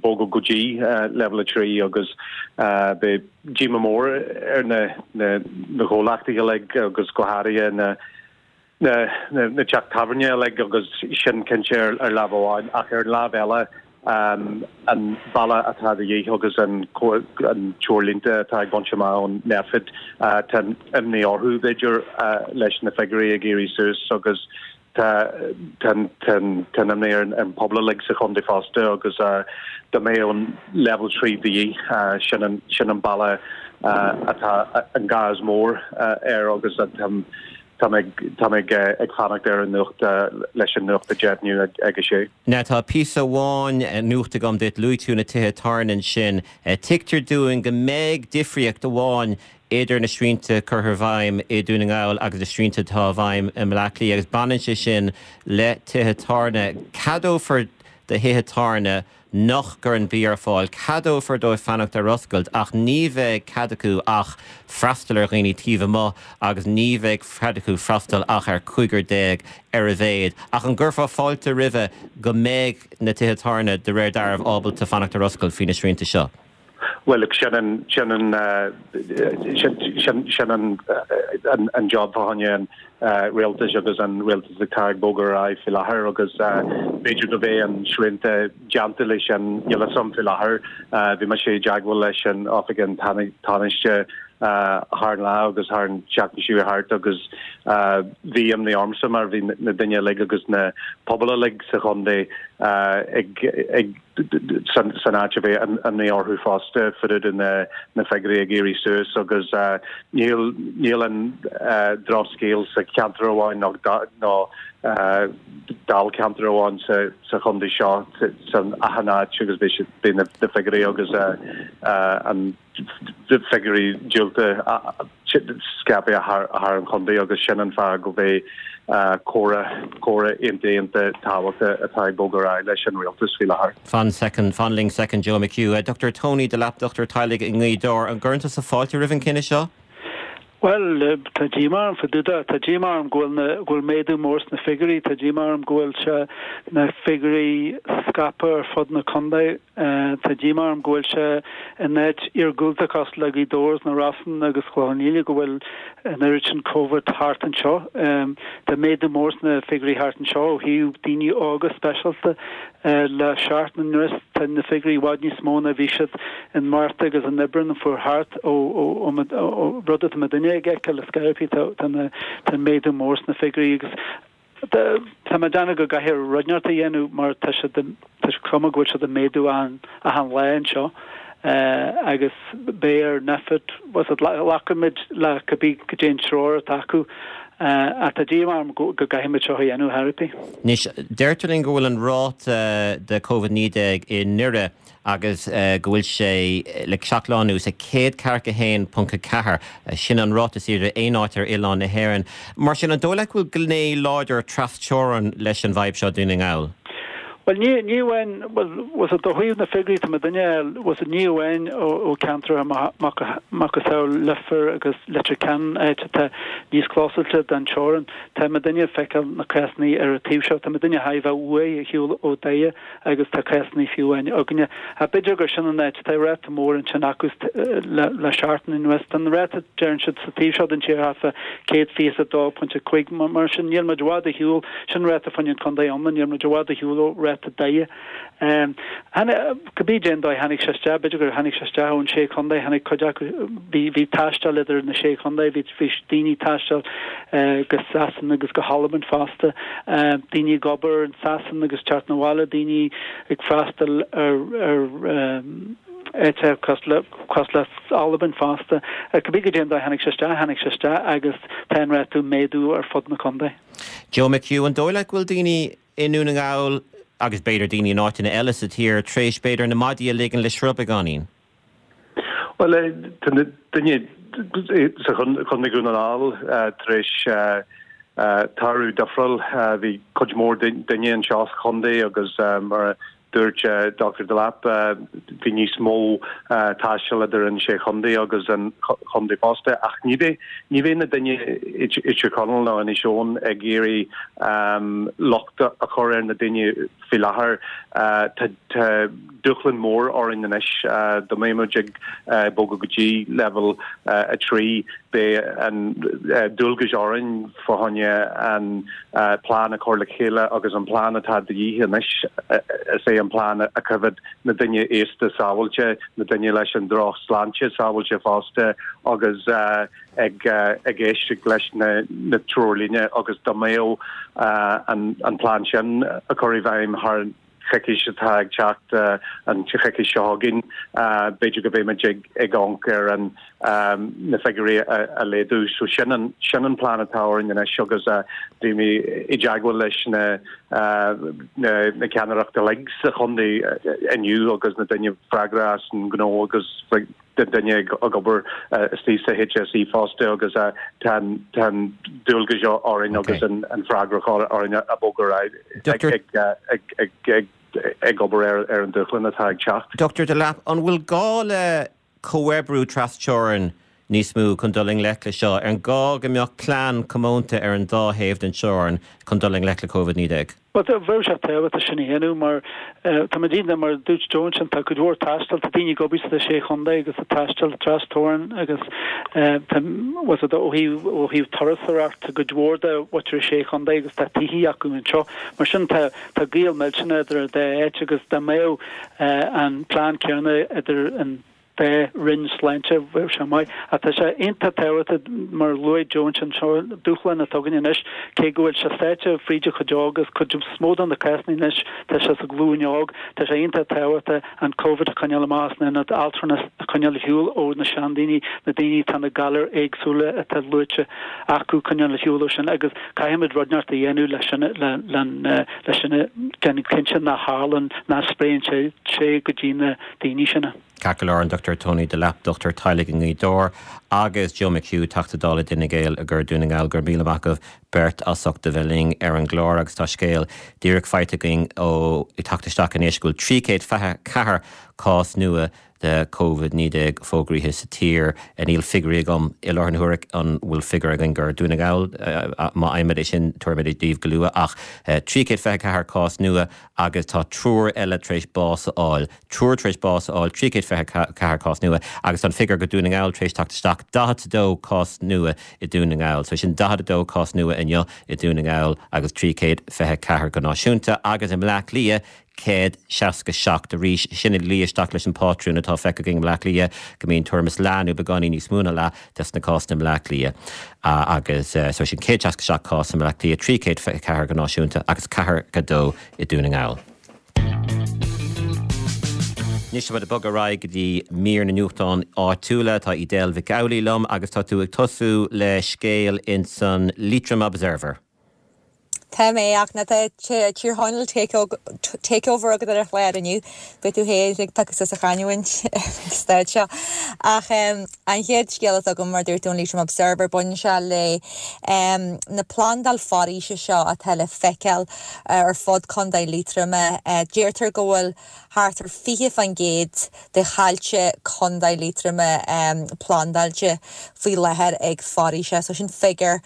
Speaker 6: bogadh go dtí leibhéal 3 agus beidh díomá mór ar na na comhlachtaí uilig agus go háirithe na na teach tábhairne uilig agus sin cinnte ar lámh amháin ach ar an lámh eile an bealach atá de dhíth agus an treoirlínte atá ag baint amach ón Nphet, tá imní orthu, b'fhéidir, leis na figiúirí ag éirí suas agus tá an imní ar an pobal uilig sa chontae fosta agus dá mbeadh an leibhéal 3 de dhíth, sin an bealach atá an gá is mór air agus tá Tá mé ag fanacht ar an nuacht leis an nuacht a dheimhniú ag a sé.
Speaker 1: Now tá píosa amháin nuachta agam duit. Luaigh tú na tithe tábhairne ansin. Tuigtear dúinn go mbeidh difríocht amháin idir na srianta curtha i bhfeidhm i Dún na nGall agus na srianta atá i bhfeidhm i mBleá Cliath agus baineann sé sin le tithe tábhairne. Ceadófar do thithe tábhairne nach gcuireann bia ar fáil, ceadófar dóibh fanacht ar oscailt ach ní bheidh cead acu ach freastal ar dhaoine taobh amuigh agus ní bheidh cead acu freastal ach ar chúigear ar a mhéad. Ach an gcuirfeá fáilte roimhe go mbeidh na tithe tábhairne de réir dealraimh ábalta fanacht ar oscailt faoi na srianta seo?
Speaker 6: Bhuel, look, sin an, sin an, sin, sin an, an job fá choinne an rialtais agus an rialtas atá ag bogadh ar aghaidh faoi láthair agus b'fhéidir go mbeidh an srianta déanta leis sin, níl a fhios agam faoi láthair. Bhí mise i dteagmháil leis an oifig an Tánaiste thar an lá agus thar an tseachtain seo thart agus bhí imní ormsa mar bhí na daoine uilig agus na pobail uilig sa chontae ag ag san áit a bheith imní orthu fosta, fá dtaobh de na figiúirí ag éirí suas agus níl níl an drochscéal sa cheantar amháin nó nó dáilcheantar amháin sa sa chontae seo san achan áit agus beidh siad beidh na figiúirí agus an figiúirí diúltacha scaipthe thar an chontae agus sin an fáth go mbeidh comhrá comhrá iontach iontach tábhachtach atá ag bogadh ar aghaidh leis an rialtas faoi láthair.
Speaker 1: Fan soicind, fan linn soicind Joe McHugh. Dr Tony Delap, dochtúir teaghlaigh i nGaoth Dobhair, an gcuireann tusa fáilte roimh an cinneadh seo?
Speaker 7: Bhuel, tá díomá orm fá dtaobh de. Tá díomá orm go bhfuil na, go bhfuil méadú mór sna figiúirí. Tá díomá orm go bhfuil sé, na figiúirí scaipthe ar fud na contae. Tá díomá orm go bhfuil sé in áit iargúlta cosúil le Gaoth Dobhair is na Rosann agus Clochán Liath go bhfuil an oiread sin Covid thart anseo. Tá méadú mór sna figiúirí thart anseo ó thaobh daoine óga speisialta. Le seachtain anuas tá na figiúirí i bhfad níos mó ná bhí siad in Márta agus in Aibreán an fuair thart ó rud atá muidinne ag fheiceáil le Skype tá tá méadú mór sna figiúirí agus tá mé ag déanamh go gcaithfear rud inteacht a dhéanamh mar tá siad tá cuma go bhfuil siad ag méadú achan lá anseo agus beidh ar NPHET glacfaimid le cibé goidé an treoir atá acu ach tá díomá orm go gcaithfimid seo a dhéanamh ar chor ar bith.
Speaker 1: Anois, deirtear linn go bhfuil an ráta de Covid-19 i nDoire agus go bhfuil sé le seacht lá anuas ag 141.4, sin an ráta is airde aon áit ar oileán na hÉireann. Mar sin, an dóigh leat go bhfuil gné láidir tras-teorann leis an bhfadhb seo i Dún na nGall?
Speaker 7: Bhuel, ní, ní amháin, bhuel, bhfuil a fhios agat ó thaobh na figiúirí atá muidinne a fháil, bhfuil a fhios agat ní amháin ó ceantracha macasamhail Leifear agus Leitir Ceanainn, áit atá níos clósáilte don teorainn, tá muidinne ag feiceáil na cásanna ar an taobh seo, tá muidinne thar a bheith uaidh ar shiúl ó Dhoire agus tá cásanna fiú amháin againne. Ach b'fhéidir gur sin an áit, tá ráta mór ansin acu le, le seachtain anuas. Tá an ráta, deireann siad, sa taobh seo den tír thart fá 122.5, mar sin níl muid i bhfad ar shiúl. Sin ráta fá choinne an chontae iomlán, níl muid i bhfad ar shiúl ó ráta Doire. Cibé cén dóigh tháinig sé isteach, b'fhéidir gur tháinig sé isteach ón sé chontae, tháinig cuid acu, bhí, bhí taisteal idir na sé chontae, bhí, bhí daoine ag taisteal go Sasana agus go hAlbain fosta, daoine ag obair in Sasana agus teacht 'na bhaile, daoine ag freastal ar, ar áiteacha cosúil le, cosúil le Albain fosta. Cibé goidé an dóigh tháinig sé isteach, tháinig sé isteach agus tá an ráta ag méadú ar fud na contae.
Speaker 1: Joe McHugh, An dóigh leat go bhfuil daoine i nDún na nGall, agus b'fhéidir daoine in áiteanna eile sa tír, tar éis b'fhéidir na maidí a ligean le sruth beagáinín?
Speaker 6: Bhuel, tá na daoine sa Chontae Dhún na nGall tar éis toradh difriúil. Bhí cuid mhór daoine anseo sa chontae agus mar a Dúirt Dr Delap, Bhí níos mó taistil idir an sé chontae agus an chontae fosta ach ní bheidh ní bheidh na daoine i Tír Chonaill nó Inis Eoghain ag iarraidh locht a chur ar na daoine faoi láthair. Tá dúshlán mór orainn anois dá mbeidh muid ag bogadh go dtí leibhéal 3 beidh an dualgas orainn fá choinne an plean a chur le chéile agus an plean atá de dhíth anois, is é an plean a choimeád na daoine aosta sábháilte, na daoine leis an droch-shláinte sábháilte fosta agus ag éisteacht leis na treoirlíne agus dá mbeadh an plean sin a chur i bhfeidhm thar an choicís atá ag teacht, an choicís seo chugainn, b'fhéidir go mbeidh muid ag amharc ar an na figiúirí a laghdú. So sin an sin an plean atá orainn anois agus bhí mé i dteagmháil leis na na ceannaireacht uilig sa chontae inniu agus na daoine freagrach as an ngnó agus na daoine ag obair istigh sa HSE fosta agus tá an tá an dualgas orainn agus an an freagrach orainn a bogadh ar aghaidh ag ag ag ag obair ar ar an dúshlán atá ag teacht.
Speaker 1: Dr Delap, an bhfuil gá le comhoibriú trasteorann níos mó chun dul i ngleic le seo? An gá go mbeadh plean comónta ar an dá thaobh den teorainn chun dul i ngleic le Covid-19?
Speaker 7: Bhuel, bheadh sé tábhachtach sin a dhéanamh mar tá muid iontach, mar a dúirt Joe ansin, tá cuid mhór taistil, tá daoine ag obair sna sé chontae agus ag taisteal trasteorann agus tá, bhfuil a fhios agat, ó thaobh, ó thaobh turasóireacht, tá cuid mhór de mhuintir na sé chontae agus tá tithí acu anseo. Mar sin tá, tá gaol millteanach idir an dá áit agus dá mbeadh an plean céanna idir an dá roinn sláinte, bheadh sé maith. Ach tá sé iontach tábhachtach, mar a luaigh Joe ansin, seo dúshlán atá againn anois, cé go bhfuil sé sáite fríd an chuid óg agus cuid is mó de na cásanna anois, tá sé sa ghlúin óg, tá sé iontach tábhachtach an Covid a choinneáil amach as na hionaid altranais, a choinneáil ar shiúl ó na seandaoine, na daoine atá na galair éagsúla atá luaite acu, coinneáil ar shiúl ó sin agus caithfimid rud inteacht a dhéanamh leis sin, le sin a déanamh cinnte nach tharlann, nach spréann sé sé go dtí na daoine sin.
Speaker 1: Ceart go leor, an Dr Tony Delap, dochtúir teaghlaigh i nGaoth Dobhair, agus Joe McHugh, Teachta Dála d'Fhine Gael i gCorca Dhún na nGall, go raibh míle maith agaibh beirt as ucht a bheith linn ar an gclár agus tá scéal díreach faighte againn ó ag teacht isteach anois go bhfuil 324 cás nua. de Covid-19 fógraíthe sa tír. Níl figiúirí agam i láthair na huaire, an bhfuil figiúr againn gur Dún na nGall? Má fhaighimid é sin tabharfaimid é daoibh go luath. Ach 324 cás nua agus tá triúr eile tar éis bás a fháil. Triúr tar éis bás a fháil, 324 cás nua agus tá an figiúr go Dún na nGall tar éis teacht isteach, 42 cás nua i Dún na nGall. So sin 42 cás nua inniu i Dún na nGall agus 324 go náisiúnta agus i mBleá Cliath 167 arís. Sin ag luí isteach leis an bpátrún atá feicthe againn i mBleá Cliath, go mbíonn tuairim is leath nó beagáinín níos mó ná leath des na cásanna i mBleá Cliath. Agus so sin 167 cás i mBleá Cliath, 324 go náisiúnta agus 42 i Dún na nGall. Anois tá muid ag bogadh ar aghaidh go dtí mír na nuachtán áitiúla. Tá Edel Mhic Amhlaigh liom agus tá tú ag tosú le scéal ins an Leitrim Observer.
Speaker 8: Tá mé, ach ná tá Tír Chonaill takeover agat ar an chlár inniu. Beidh tú féin ag piocadh suas an chanúint ag staid seo. Ach an chéad scéal atá agam, mar dúirt tú, an Leitrim Observer, baineann sé le na plandáil foraoise seo atá le feiceáil ar fud Contae Liatroma. Deirtear go bhfuil thart ar 20% de thailte Contae Liatroma plandáilte faoi láthair ag foraoise. So sin figiúr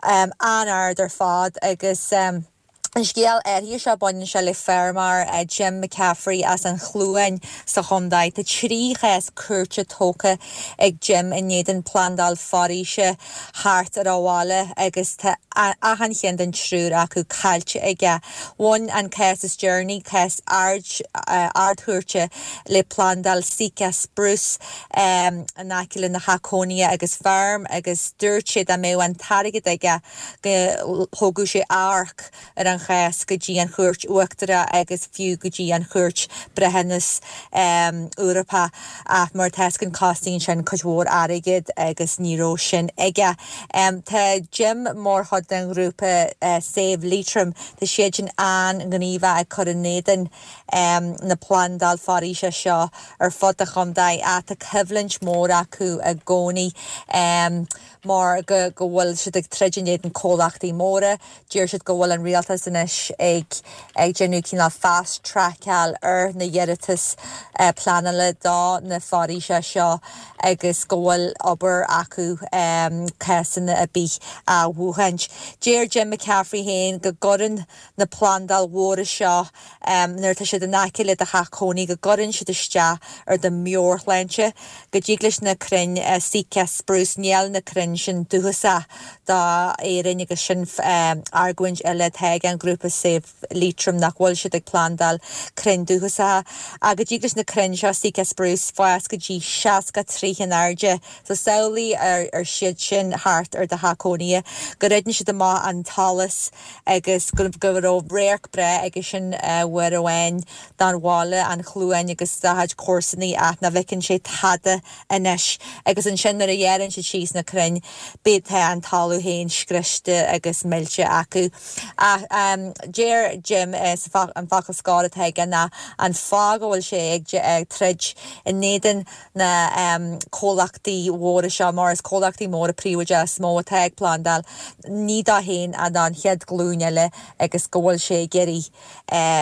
Speaker 8: an-ard ar fad agus an scéal áirithe seo baineann sé le feirmeoir Jim McCaffrey as an Chluain sa chontae. Tá 3 chás cúirte tógtha ag Jim in éadan plandáil foraoise thart ar a bhaile agus tá achan cheann den triúr acu caillte aige. Bhain an cás is deireanaí, cás Ard-Chúirte, le plandáil Sitka Spruce in aice lena theach cónaithe agus feirm agus dúirt sé dá mbeadh an t-airgead aige go thógadh sé achomharc ar an chás go dtí an Chúirt Uachtarach agus fiú go dtí an Chúirt Breithiúnas Eorpach ach mar tá a fhios againn cosnaíonn sin cuid mhór airgid agus ní raibh sin aige. Tá Jim mar chuid den ghrúpa Save Leitrim, tá siad sin an-ghníomhach ag cur in éadan na plandáil foraoise seo ar fud an chontae ach tá coimhlint mhór acu i gcónaí mar go go bhfuil siad ag troid in éadan comhlachtaí móra. Deir siad go bhfuil an rialtas anois ag ag déanamh cineál fast trackáil ar na hiarratais pleanála do na foraoise seo agus go bhfuil obair acu cásanna ar bith a bhuachaint. Deir Jim McCaffrey féin go gcuireann na plandáil mhóra seo nuair atá siad in aice le do theach cónaí go gcuireann siad isteach ar do mheabhairshláinte, go dtig leis na crainn Sitka Spruce, níl na crainn sin dúchasach do Éirinn agus sin argóint eile atá ag an ghrúpa Save Leitrim nach bhfuil siad ag plandáil crainn dúchasacha ach go dtig leis na crainn seo Sitka Spruce fás go dtí 60 troigh in airde so samhlaigh ar siad sin thart ar do theach cónaithe go ritheann siad amach an t-allas agus go raibh radharc breá aige sin uair amháin don bhaile, an Chluain agus dá chuid comharsanaí ach nach bhfeiceann sé tada anois. Agus ansin nuair a ghearrann siad síos na crainn bíonn tá an talamh féin scriosta agus millte acu. Ach deir Jim an focal scoir atá aige ná an fáth go bhfuil sé ag troid in éadan na comhlachtaí mhóra seo, mar is comhlachtaí móra príobháideacha is mó atá ag plandáil, ní dó féin ach don chéad ghlúin eile agus go bhfuil sé ag iarraidh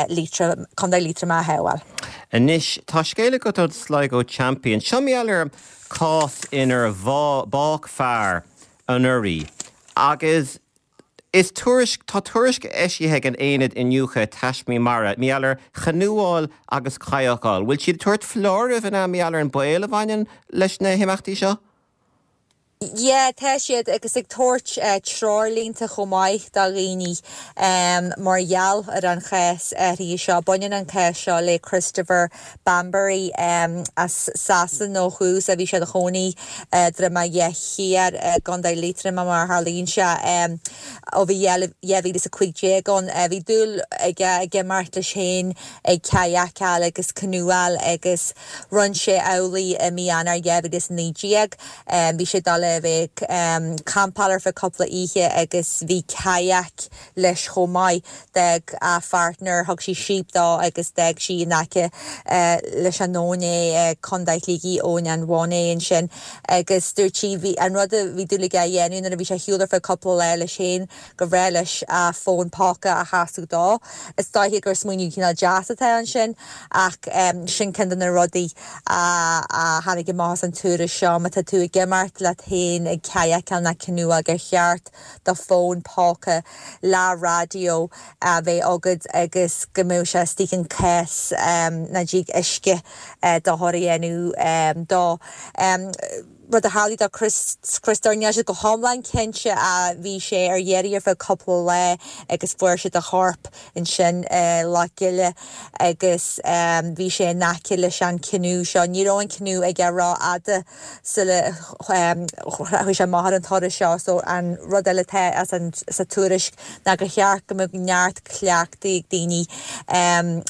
Speaker 8: Liatroim, Contae Liatroma a shábháil.
Speaker 1: Anois, tá scéal agat ón Sligo Champion. Seo mar gheall ar chás inar bádh fear anuraidh agus Is tuairisc, tá tuairisc eisithe ag an Aonad Iniúchadh Taismí Mara, mar gheall ar chanúáil agus cadhcáil. Bhfuil siad ag tabhairt foláirimh an ea mar gheall ar an baol a bhaineann leis na himeachtaí seo?
Speaker 8: Yeah, tá siad agus ag tabhairt treoirlínte chomh maith do dhaoine mar gheall ar an chás áirithe seo. Baineann an cás seo le Christopher Bambury as Sasana ó thús a bhí sé ina chónaí i Droim a' Gheith Thiar i gContae Liatroma mar a tharlaíonn sé ó bhí 2015 ann. Bhí dúil aige ag imeacht leis féin ag cadhcáil agus canúáil agus rinne sé amhlaidh i mí Eanáir 2019. Bhí sé ag dul a bheith. bheith ag campáil ar feadh cúpla oíche agus bhí kayak leis chomh maith. D'fhág a pháirtneir, thug sí síob dó agus d'fhág sí in aice leis an abhainn é i Contae Shligigh, Abhainn an Mhónaidh ansin agus dúirt sí bhí an rud a bhí dúil aige a dhéanamh nuair a bhí sé ar shiúl ar feadh cúpla lá leis féin gur bhreá leis a fón póca a chasadh dó. Is dóiche gur smaoineamh cineál deas atá ansin ach sin ceann de na rudaí a tháinig amach as an tuairisc seo, má tá tú ag imeacht leat féin ag kayakáil nó canúáil gur cheart do fón póca le raidió a bheith agat agus go mbeadh sé istigh in cás nach dtig uisce dochar a dhéanamh dó. Rud a tharlaigh do Chris, Christóir, níl siad go hiomlán cinnte ach bhí sé ar iarraidh ar feadh cúpla lá agus fuair siad a chorp ansin i Loch Gile agus bhí sé in aice leis an canoe seo. Ní raibh an canoe aige rófhada sula chuaigh sé amach ar an turas seo so an rud eile atá as an sa tuairisc ná gur cheart go mbeadh neart cleachtaidh ag daoine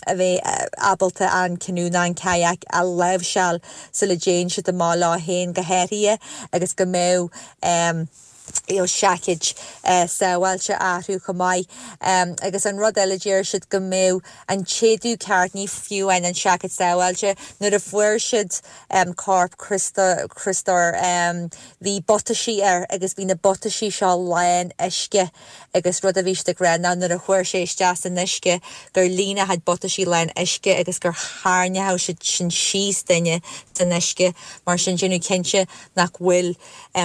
Speaker 8: a bheith ábalta an canoe nó an kayak a láimhseáil sula dtéann siad amach leo féin go háirithe agus go mbeadh you know seaicéid sábháilte orthu chomh maith. Agus an rud eile deir siad go mbeadh an t-éadach ceart, ní fiú amháin an seaicéad sábháilte, nuair a fuair siad corp Chriostóir bhí butaisí air agus bhí na butaisí seo lán uisce agus rud a bhí siad ag rá ná nuair a chuaigh sé isteach san uisce gur líon a chuid butaisí lán uisce agus gur tharraingeodh siad sin síos duine san uisce mar sin déanamh cinnte nach bhfuil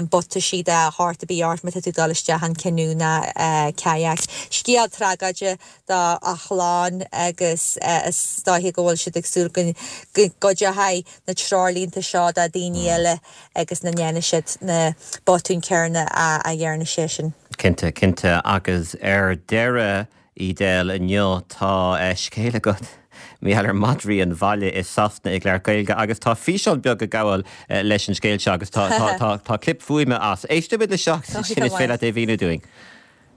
Speaker 8: butaisí de shórt ar bith ort má tá tú ag dul isteach in canoe ná kayak. Scéal tragóide do a chlann agus is dóiche go bhfuil siad ag súil go gcuideoidh na treoirlínte seo do daoine eile agus nach ndéanfaidh siad na botúin céanna a dhearna seisean.
Speaker 1: Cinnte, cinnte. Agus ar deireadh, Edel, inniu tá scéal agat mar gheall ar mhadraí an bhaile i Sasana ag labhairt Gaeilge agus tá físeán beag ag gabháil leis an scéal seo agus tá, tá, tá, tá clip fuaime as. Éistfimid leis seo agus ansin is féidir leat é a mhíniú dúinn.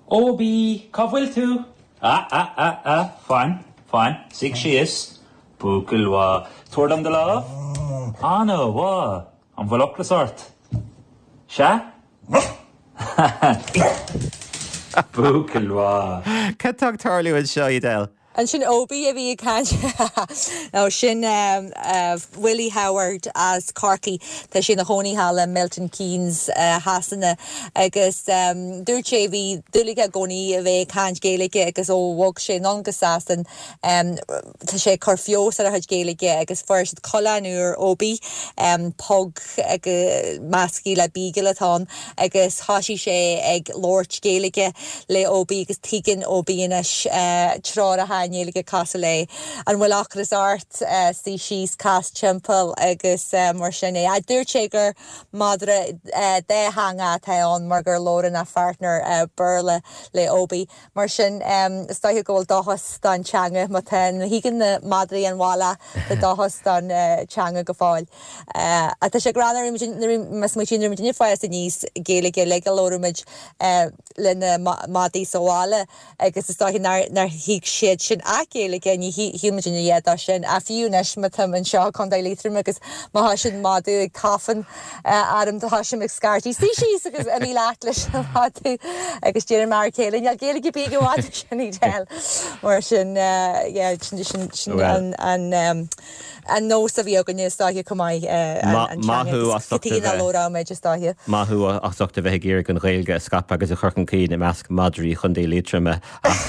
Speaker 9: Obi, cá bhfuil tú? A, a, a, a, fan, fan, suigh síos. Buachaill mhaith. Tabhair dom do lámh. Ana-mhaith. An bhfuil ocras ort? Sea? Buachaill mhaith.
Speaker 1: Cad tá ag tarlú anseo, Edel?
Speaker 8: Ansin Obi a bhí ag caint. Nó sin Willie Howard as Corcaigh. Tá sé ina chónaí thall i Milton Keynes Shasana agus dúirt sé bhí dúil aige i gcónaí a bheith ag caint Gaeilge agus ó bhog sé anonn go Sasain Tá sé ag cur feabhas ar a chuid Gaeilge agus fuair siad coileán úr, Obi, pug measctha le beagle atá ann agus thoisigh sé ag labhairt Gaeilge le Obi agus tuigeann Obi anois treoracha i nGaeilge cosúil le an bhfuil ocras ort, suigh síos, cas timpeall agus mar sin é. Dúirt sé gur madra dátheangach atá ann mar gur labhrann a pháirtneir Béarla le Obi. Mar sin, is dóiche go bhfuil dóchas don teanga, má tá, má thuigeann na madraí an bhaile, tá dóchas don teanga go fóill. Ach tá sé greannmhar, má smaoitíonn muid ag fás aníos, Gaeilge uilig a labhraíonn muid le na madaí sa bhaile agus is dóiche nár thuig siad sin ach Gaeilge, ní shíl muid ina dhiaidh dó sin. Ach fiú anois, má táim anseo i gContae Liatroma agus má thosaíonn madadh ag tafann, orm tosaím ag scairtigh suigh síos agus imigh leat leis an mhadadh agus deireann m'fhear céile níl Gaeilge ar bith ag an mhadadh sin Edel mar sin yeah sin sin sin an an an nós a bhí againne is dóiche chomh maith an
Speaker 1: teanga agus cad chuige nach
Speaker 8: labhródh muid is dóiche.
Speaker 1: Maith thú as ucht a bheith ag iarraidh an Ghaeilge a scaipeadh agus a chur chun cinn i measc madraí Chontae Liatroma ach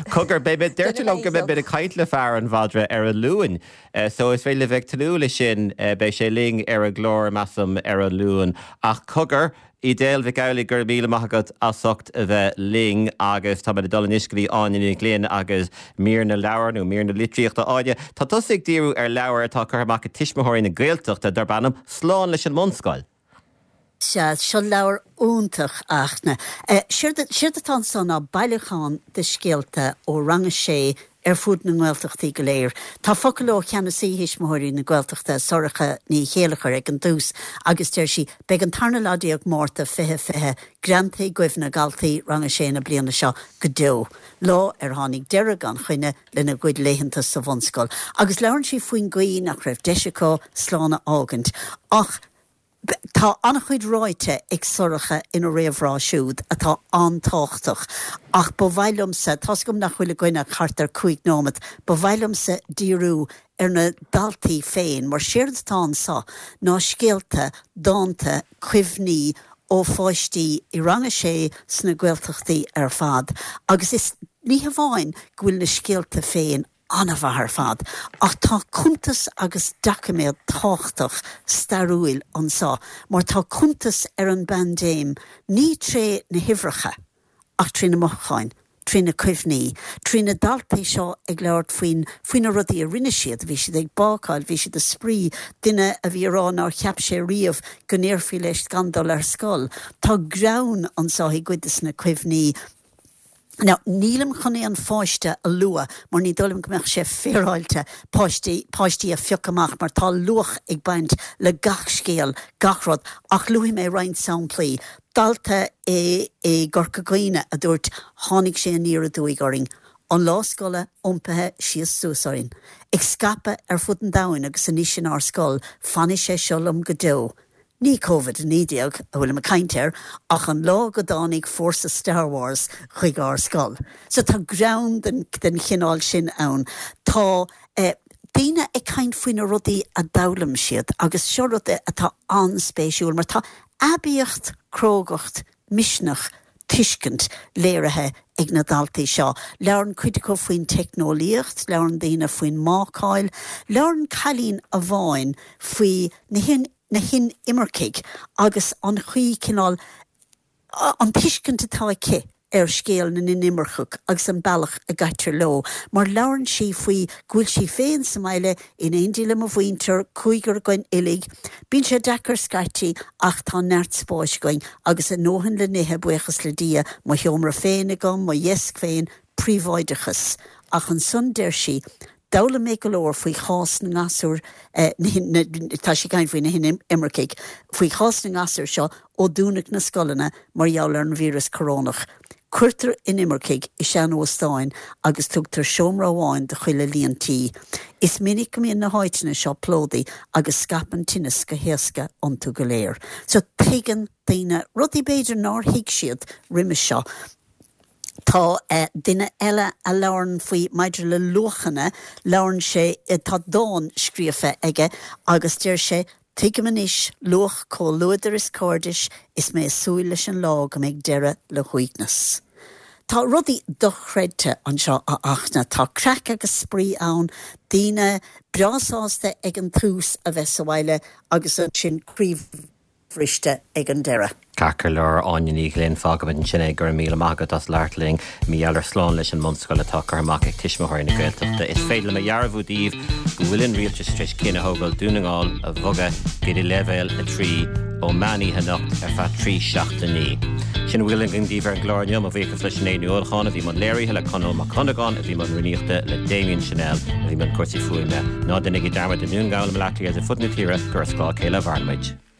Speaker 1: cogar beidh mé deir tú liom go mbeidh mé ag caint le fear an mhadra ar an Luan So is féidir libh bheith ag tnúth leis sin, beidh sé linn ar an gclár, measaim, ar an Luan. Ach cogar, Edel Mhic Amhlaigh, go raibh míle maith agat as ucht a bheith linn agus táimid ag dul anois go dtí Áine Ní Ghlinn agus mír na leabhar nó mír na litríochta. Áine, tá tusa ag díriú ar leabhar atá curtha amach ag Tuismitheoirí na Gaeltachta darb ainm Slán leis an mBunscoil.
Speaker 10: Sea, seo leabhar iontach, a Fhachtna. Séard, séard atá anso ná bailiúchán de scéalta ó rang a sé ar fud na nGaeltachtaí go léir. Tá focal ó Cheannasaí Thuismitheoirí na Gaeltachta, Sorcha Ní Chéilleachair, ag an dtús agus deir sí, Beidh an tarna lá déag Márta 2020 greanta i gcuimhne dhaltaí rang a sé na bliana seo go deo, lá ar tháinig deireadh gan choinne lena gcuid laethanta sa bhunscoil. Agus labhrann sí faoin gcaoi nach raibh deis acu slán a fhágaint ach. Tá an-chuid ráite ag Sorcha ina réamhrá siúd atá an-tábhachtach ach ba mhaith liomsa, tá's agam nach bhfuil againn ach thart ar 5 nóimeat, ba mhaith liomsa díriú ar na daltaí féin mar séard atá anso ná scéalta, dánta, cuimhní ó pháistí i rang a sé sna Gaeltachtaí ar fad agus is ní hamháin go bhfuil na scéalta féin an-mhaith ar fad, ach tá cuntas agus doiciméad tábhachtach stairiúil anso mar tá cuntas ar an bpaindéim ní tré na huimhreacha ach trí na mothúcháin, trí na cuimhní, trí na daltaí seo ag labhairt faoin, faoi na rudaí a rinne siad, bhí siad ag bácáil, bhí siad ag spraoi, duine a bhí ag rá nár cheap sé riamh go ndéarfaí leis gan dul ar scoil. Tá greann anso i gcuid de na cuimhní. Now, nílim chun aon pháiste a lua mar ní dóigh liom go mbeadh sé féaráilte páistí, páistí a phiocadh amach mar tá luach ag baint le gach scéal, gach rud, ach luafaidh mé roinnt samplaí. Dalta i, i gCorca Dhuibhne a dúirt, tháinig sé aniar aduaidh orainn. An lá scoile iompaithe síos suas orainn. Ag scaipeadh ar fud an domhain agus anois inár scoil, fanfaidh sé seo liom go deo. Ní Covid-19 a bhfuilim ag caint air ach an lá go dtáinig fórsa Star Wars chuig ár scoil. So tá greann den den chineál sin ann. Tá eh daoine ag caint faoi na rudaí a d'fhoghlaim siad agus seo rud atá an-spéisiúil mar tá aibíocht, crógacht, misneach, tuiscint léirithe ag na daltaí seo. Labhrann cuid acu faoin teicneolaíocht, labhrann daoine faoin mbácáil, labhrann cailín amháin faoi na na hinimircigh agus an chaoi, cineál, an tuiscint atá aici ar scéal na n-inimirceach agus an bealach a gcaitear leo, mar labhrann sí faoi go bhfuil sí féin sa mbaile in éindí le mo mhuintir, cúigear againn uilig. Bíonn sé deacair scaití ach tá neart spáis againn agus a ndóthain le n-ithe, buíochas le Dia, mo sheomra féin agam, mo dheasc féin, príobháideachas. Ach ansan deir sí, D'fhoghlaim mé go leor faoi chás na ngasúr, tá sí ag caint faoi na hinimircigh, faoi chás na ngasúr seo ó dúnadh na scoileanna mar gheall ar an víreas corónach. Cuirtear inimircigh i sean-óstáin agus tugtar seomra amháin do chuile líon tí. Is minic go mbíonn na háiteanna seo plódaithe agus scaipeann tinneas go héasca iontu go léir. So tuigeann daoine rudaí b'fhéidir nár thuig siad roimis seo. Tá duine eile a labhrann faoi maidir le luachanna, labhrann sé, tá dán scríofa aige agus deir sé, Tuigim anois luach comhluadair is cairdis is mé ag súil leis an lá go mbeidh deireadh le huaigneas. Tá rudaí dochreidte anseo a Fhachtna, tá craic agus spraoi ann, daoine breá sásta ag an tús a bheith sa bhaile agus ansin croí bhriste ag an deireadh.
Speaker 1: Ceart go leor, Áine Ní Ghlinn, fágfaimid ansin é. Go raibh míle maith agat as labhairt linn. Mar gheall ar Slán leis an mBunscoil atá curtha amach ag Tuismitheoirí na Gaeltachta. Is féidir liom a dhearbhú daoibh go bhfuil an rialtas tar éis cinneadh a thógáil Dún na nGall a bhogadh go dtí leibhéal 3 ó meán oíche anocht ar feadh 3 seachtainí. Sin a bhfuil againn daoibh ar an gclár inniu. Mo bhuíochas le Sinéad Ní Uallacháin a bhí i mbun léirithe, le Conall Mac Dhonnagáin a bhí i mbun rúnaíochta, le Damien Channel a bhí i mbun cúrsaí fuaime. Ná déanaigí dearmad i nDún na nGall, i mBaile Átha Cliath agus ar fud na tíre gur as scáth a chéile a mhaireann muid.